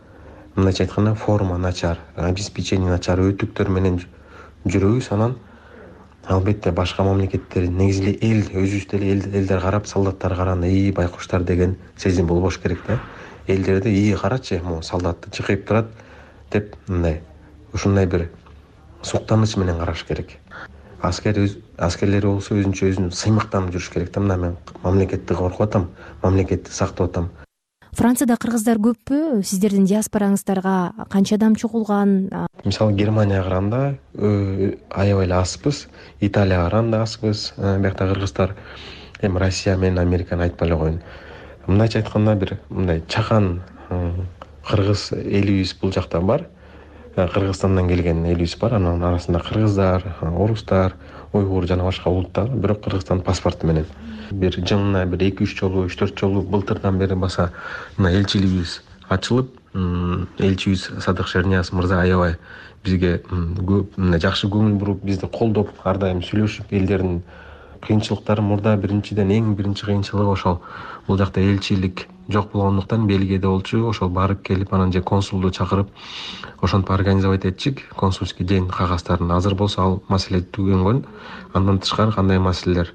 мындайча айтканда форма начар, обеспечение начар, өтүктөр менен жүрөбүз. Анан албетте башка мамлекеттер, негизи эле эл, өзүбүз деле элдер карап, солдаттар караганда ии байкуштар деген сезим болбош керек да. Элдерде ии карачы, могу солдатты чыкайып турат деп мындай ушундай бир суктаныч менен караш керек. Аскер аскерлер болсо өзүнчө өзүн сыймыктанып жүрүш керек да. Мына мен мамлекетти коргоп атам, мамлекетти сактап атам. Францияда кыргыздар көппү? Сиздердин диаспораңыздарга канча адам чогулган? Мисалы Германияга караганда аябай эле азбыз, Италияга караганда азбыз. Биякта кыргыздар эми Россия менен Американы айтпай эле коеюн. Мындайча айтканда бир мындай чакан кыргыз элибиз бул жакта бар. Кыргызстандан келген элибиз бар. Анын арасында кыргыздар, орустар, уйгур жана башка улуттар, бирок Кыргызстан паспорту менен. Бир жылына бир эки үч жолу, үч төрт жолу былтырдан бери баса мына элчилигибиз ачылып, элчибиз Садык Шернияз мырза аябай бизге көп мындай жакшы көңүл буруп, бизди колдоп, ар дайым сүйлөшүп, элдердин кыйынчылыктары мурда биринчиден эң биринчи кыйынчылыгы ошол бул жакта элчилик жок болгондуктан Бельгияда болчу, ошол барып келип анан же консулду чакырып ошентип организовать этчик. Консульский ден кагаздарын азыр болсо ал маселе түгөнгөн. Андан тышкары кандай маселелер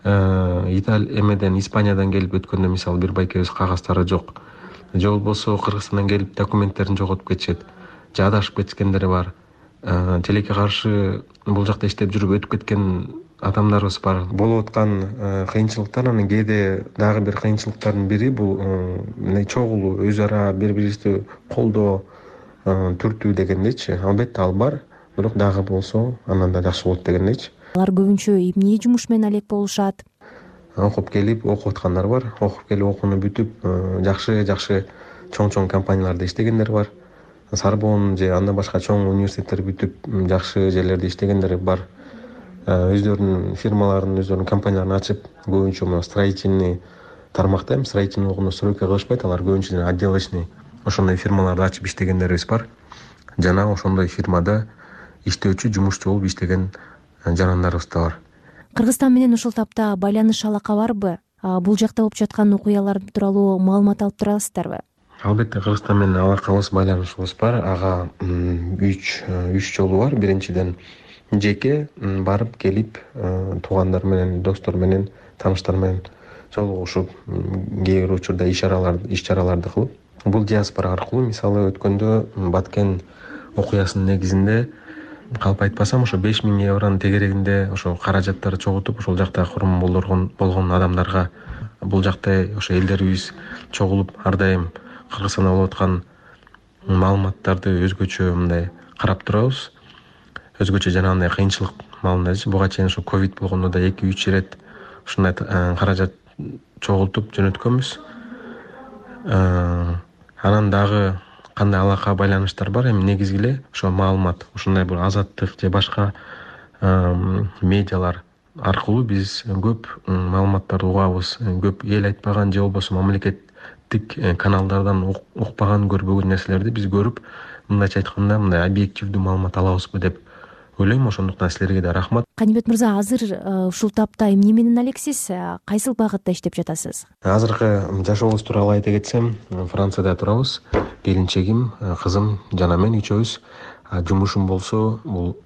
Италия эмеден Испаниядан келип өткөндө мисалы бир байкебиз кагаздары жок, же болбосо Кыргызстандан келип документтерин жоготуп кетишет, же адашып кеткендери бар. Тилекке каршы бул жакта иштеп жүрүп өтүп кеткен адамдарыбыз бар. Болуп аткан кыйынчылыктар, анан кээде дагы бир кыйынчылыктардын бири бул мындай чогулуу, өз ара бири бирибизди колдоо, түртүү дегендейчи. Албетте ал бар, бирок дагы болсо андан да жакшы болот дегендейчи. Алар көбүнчө эмне жумуш менен алек болушат? Окуп келип окуп аткандар бар, окуп келип окууну бүтүп жакшы жакшы чоң-чоң компанияларда иштегендер бар. Сорбонн же андан башка чоң университеттер бүтүп жакшы жерлерде иштегендер бар. Өздөрүнүн фирмаларын, өздөрүнүн компанияларын ачып, көбүнчө мына строительный тармакта, эми строительный болгондо стройка кылышпайт, алар көбүнчө отделочный ошондой фирмаларды ачып иштегендерибиз бар. Жана ошондой фирмада иштөөчү, жумушчу болуп иштеген жарандарыбыз да бар. Кыргызстан менен ушул тапта байланыш алака барбы? Бул жакта болуп жаткан окуялар тууралуу маалымат алып турасыздарбы? Албетте Кыргызстан менен алакабыз, байланышыбыз бар. Ага үч үч жолу бар. Биринчиден жеке барып келип туугандар менен, достор менен, тааныштар менен жолугушуп, кээ бир учурда иш-чараларды иш-чараларды кылып, бул диаспора аркылуу мисалы өткөндө Баткен окуясынын негизинде калп айтпасам ошо беш миң евронун тегерегинде ошо каражаттарды чогултуп, ошол жакта курман болгон адамдарга бул жакта ошо элдерибиз чогулуп ар дайым Кыргызстанда болуп аткан маалыматтарды өзгөчө мындай карап турабыз. Өзгөчө жанагындай кыйынчылык маалындачы. Буга чейин ошо ковид болгондо да эки үч ирет ушундай каражат чогултуп жөнөткөнбүз. Анан дагы кандай алака байланыштар бар, эми негизги эле ошо маалымат, ушундай бир Азаттык же башка медиалар аркылуу биз көп маалыматтарды угабыз. Көп эл айтпаган же болбосо мамлекеттик каналдардан укпаган, көрбөгөн нерселерди биз көрүп, мындайча айтканда мындай объективдүү маалымат алабызбы деп ойлойм. Ошондуктан силерге да рахмат. Канибет мырза, азыр ушул тапта эмне менен алексиз? Кайсыл багытта иштеп жатасыз? Азыркы жашообуз тууралуу айта кетсем, Францияда турабыз. Келинчегим, кызым жана мен үчөөбүз. Жумушум болсо бул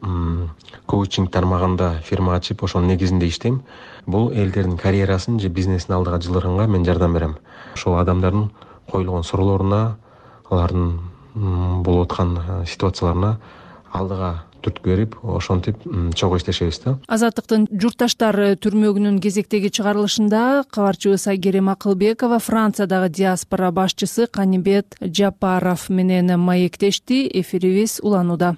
коучинг тармагында фирма ачып, ошонун негизинде иштейм. Бул элдердин карьерасын же бизнесин алдыга жылдырганга мен жардам берем. Ошол адамдардын коюлган суроолоруна, алардын болуп аткан ситуацияларына алдыга түрткү берип, ошентип чогуу иштешебиз да. Азаттыктын журтташтар түрмөгүнүн кезектеги чыгарылышында кабарчыбыз Айгерим Акылбекова Франциядагы диаспора башчысы Канибет Жапаров менен маектешти. Эфирибиз уланууда.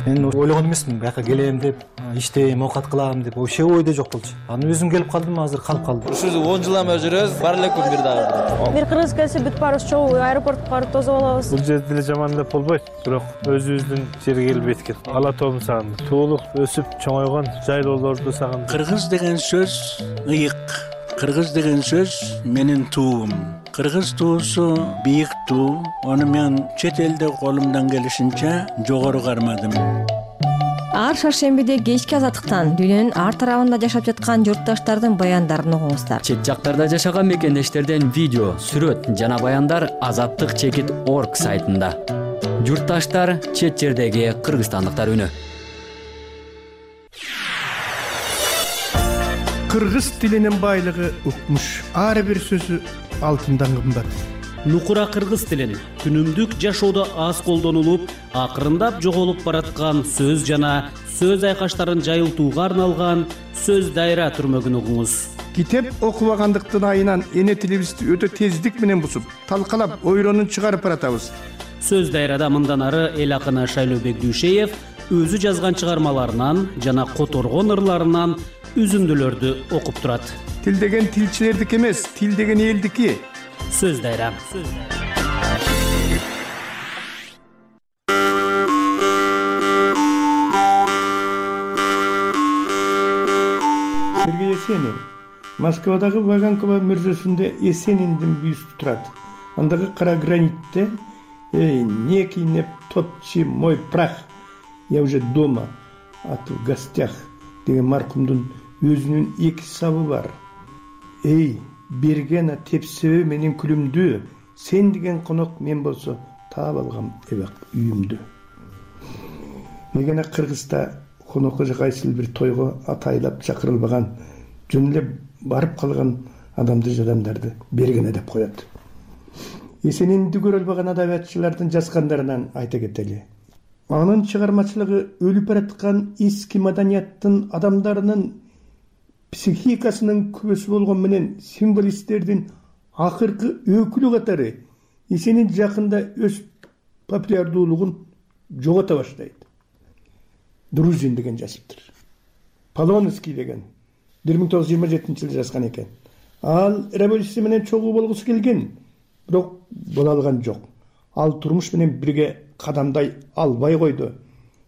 Мен ойлогон эмесмин, бияка келем деп, иштейм, оокат кылам деп, вообще ойдо жок болчу. Анан өзүм келип калдым, азыр калып калдым. Ушул он жылдан бери жүрөбүз, бар элекпи бир дагы. Бир кыргыз келсе бүт баарыбыз чогуу аэропортко барып тосуп алабыз. Бул жерде эле жаман деп болбойт, бирок өзүбүздүн жерге келип эткил. Ала тоом сагындым. Туулуп, өсүп, чоңойгон жайлоолорду сагындым. Кыргыз деген сөз ыйык. Кыргыз деген сөз менин туум. Кыргыз туусу бийик туу. Аны мен чет элде колумдан келишинче жогору кармадым. Ар шаршембиде кечки Азаттыктан дүйнөнүн ар тарабында жашап жаткан журтташтардын баяндарын угуңуздар. Чет жактарда жашаган мекендештерден видео, сүрөт жана баяндар азаттык чекит точка орг сайтында. Журтташтар, чет жердеги кыргызстандыктар үнү. Кыргыз тилинин байлыгы укмуш. Ар бир сөзү алтындан кымбат. Нукура кыргыз тилин күнүмдүк жашоодо аз колдонулуп, акырындап жоголуп бараткан сөз жана сөз айкаштарын жайылтууга арналган сөз дайра түрмөгүн угуңуз. китеп окубагандыктын айынан эне тилибизди өтө тездик менен бузуп талкалап ойронун чыгарып баратабыз. Сөз дайрада мындан ары эл акыны Шайлообек Дүйшеев өзү жазган чыгармаларынан жана которгон ырларынан үзүндүлөрдү окуп турат. Тил деген тилчилердики эмес, тил деген элдики. Сөз дайра. Сергей Есенин Москвадагы Ваганкова мөрзөсүндө Есениндин бюсту турат. Андагы кара гранитте «Эй, не кинеп топчи мой прах, я уже дома, а ты в гостях» деген маркумдун өзүнүн эки сабы бар. «Эй, бергена тепсебе менин күлүмдү, сен деген конок мен болсо таап алгам эбак үйүмдү». Мегена Кыргызда конокко же кайсыл бир тойго атайлап чакырылбаган, жөн эле барып калган адамды жадамдарды бергене деп коет. Есенинди көрө албаган адабиятчылардын жазгандарынан айта кетели. Анын чыгармачылыгы өлүп бараткан эски маданияттын адамдарынын психикасынын күбөсү болгон менен символисттердин акыркы өкүлү катары Есенин жакында өз популярдуулугун жогото баштайт. Друзин деген жазыптыр. Полонский деген бир миң тогуз жүз жыйырма жетинчи жылы жазган экен. Ал революция менен чогуу болгусу келген, бирок боло алган жок. Ал турмуш менен бирге кадамдай албай койду.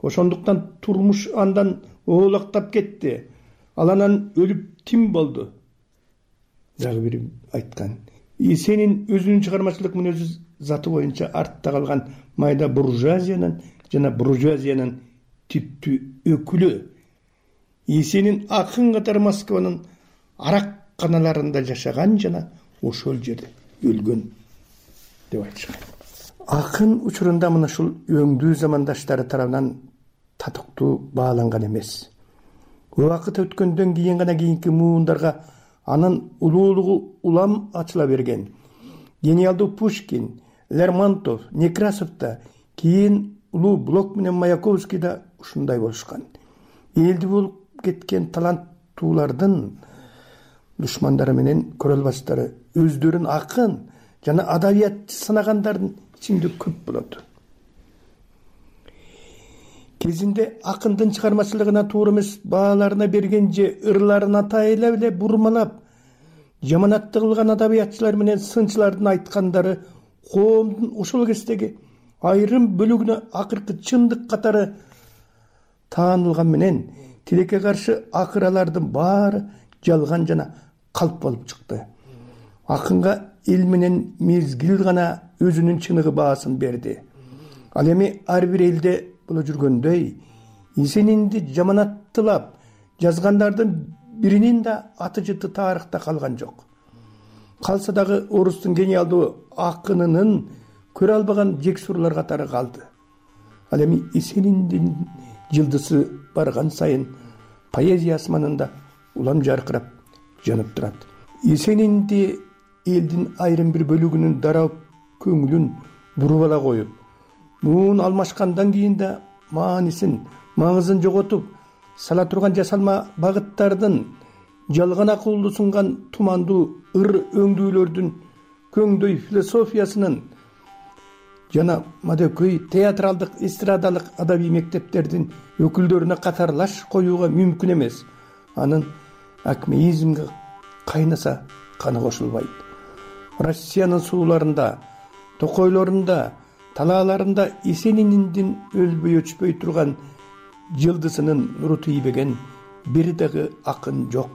Ошондуктан турмуш андан оолактап кетти. Ал анан өлүп тим болду. Дагы бири айткан. Есенин өзүнүн чыгармачылык мүнөзү заты боюнча артта калган майда буржуазиянын жана буржуазиянын типтүү өкүлү. Есенин акын катары Москванын арак каналарында жашаган жана ошол жерде өлгөн деп айтышкан. Акын учурунда мына ушул өңдүү замандаштары тарабынан татыктуу бааланган эмес. Убакыт өткөндөн кийин гана кийинки муундарга анын улуулугу улам ачыла берген. Гениалдуу Пушкин, Лермонтов, Некрасов да, кийин улуу Блок менен Маяковский да ушундай болушкан. Элди болуп кеткен таланттуулардын душмандары менен көрө албастары өздөрүн акын жана адабиятчы санагандардын ичинде көп болот. Кезинде акындын чыгармачылыгына туура эмес бааларына берген же ырларын атайлап эле бурмалап, жаманатты кылган адабиятчылар менен сынчылардын айткандары коомдун ошол кездеги айрым бөлүгүнө акыркы чындык катары таанылган менен тилекке каршы акыралардын баары жалган жана калп болуп чыкты. Акынга эл менен мезгил гана өзүнүн чыныгы баасын берди. Ал эми ар бир элде боло жүргөндөй Есенинди жаманаттылап жазгандардын биринин да аты жыты тарыхта калган жок. Калса дагы орустун гениалдуу акынынын көрө албаган жексурлар катары калды. Ал эми Есениндин жылдысы барган сайын поэзия асманында улам жаркырап жанып турат. Есенинди элдин айрым бир бөлүгүнүн дароо көңүлүн буруп ала коюп, муун алмашкандан кийин да маанисин, маңызын жоготуп сала турган жасалма багыттардын, жалган акылды сунган тумандуу ыр өңдүүлөрдүн көңдөй философиясынын жана мадөкөй театралдык, эстрадалык адабий мектептердин өкүлдөрүнө катарлаш коюуга мүмкүн эмес. Анын акмеизмге кайнаса каны кошулбайт. Россиянын сууларында, токойлорунда, талааларында Есенининдин өлбөй өчпөй турган жылдысынын нуру тийбеген бир дагы акын жок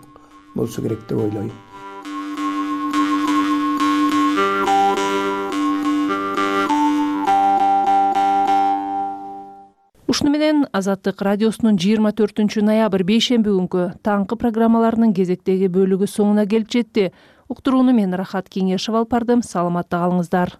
болсо керек деп ойлойм. Ушуну менен Азаттык радиосунун жыйырма төртүнчү ноябрь бейшемби күнкү таңкы программаларынын кезектеги бөлүгү соңуна келип жетти. Уктурууну мен Рахат Кеңешев алып бардым. Саламатта калыңыздар.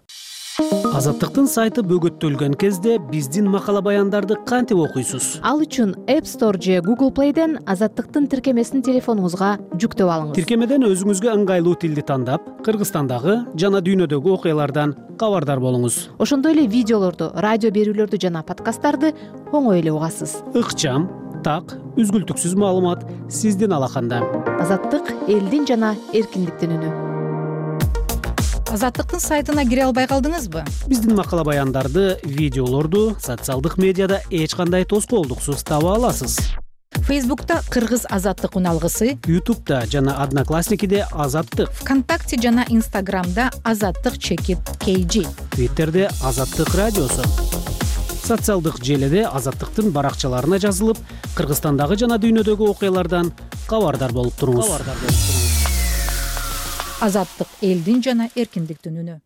Азаттыктын сайты бөгөттөлгөн кезде биздин макала баяндарды кантип окуйсуз? Ал үчүн App Store же Google Play'ден Азаттыктын тиркемесин телефонуңузга жүктөп алыңыз. Тиркемеден өзүңүзгө ыңгайлуу тилди тандап, Кыргызстандагы жана дүйнөдөгү окуялардан кабардар болуңуз. Ошондой эле видеолорду, радио берүүлөрдү жана подкасттарды оңой эле угасыз. Ыкчам, так, үзгүлтүксүз маалымат сиздин алаканда. Азаттык — элдин жана эркиндиктин үнү. Азаттыктын сайтына кире албай калдыңызбы? Биздин макала баяндарды, видеолорду социалдык медиада эч кандай тоскоолдуксуз таба аласыз. Фейсбукта Кыргыз азаттык уналгысы, Ютубта жана Одноклассникиде Азаттык, ВКонтакте жана Инстаграмда Азаттык чекит кей джи, Твиттерде Азаттык радиосу. Социалдык желиде Азаттыктын баракчаларына жазылып, Кыргызстандагы жана дүйнөдөгү окуялардан кабардар болуп туруңуз. Азаттык — элдин жана эркиндиктин үнү.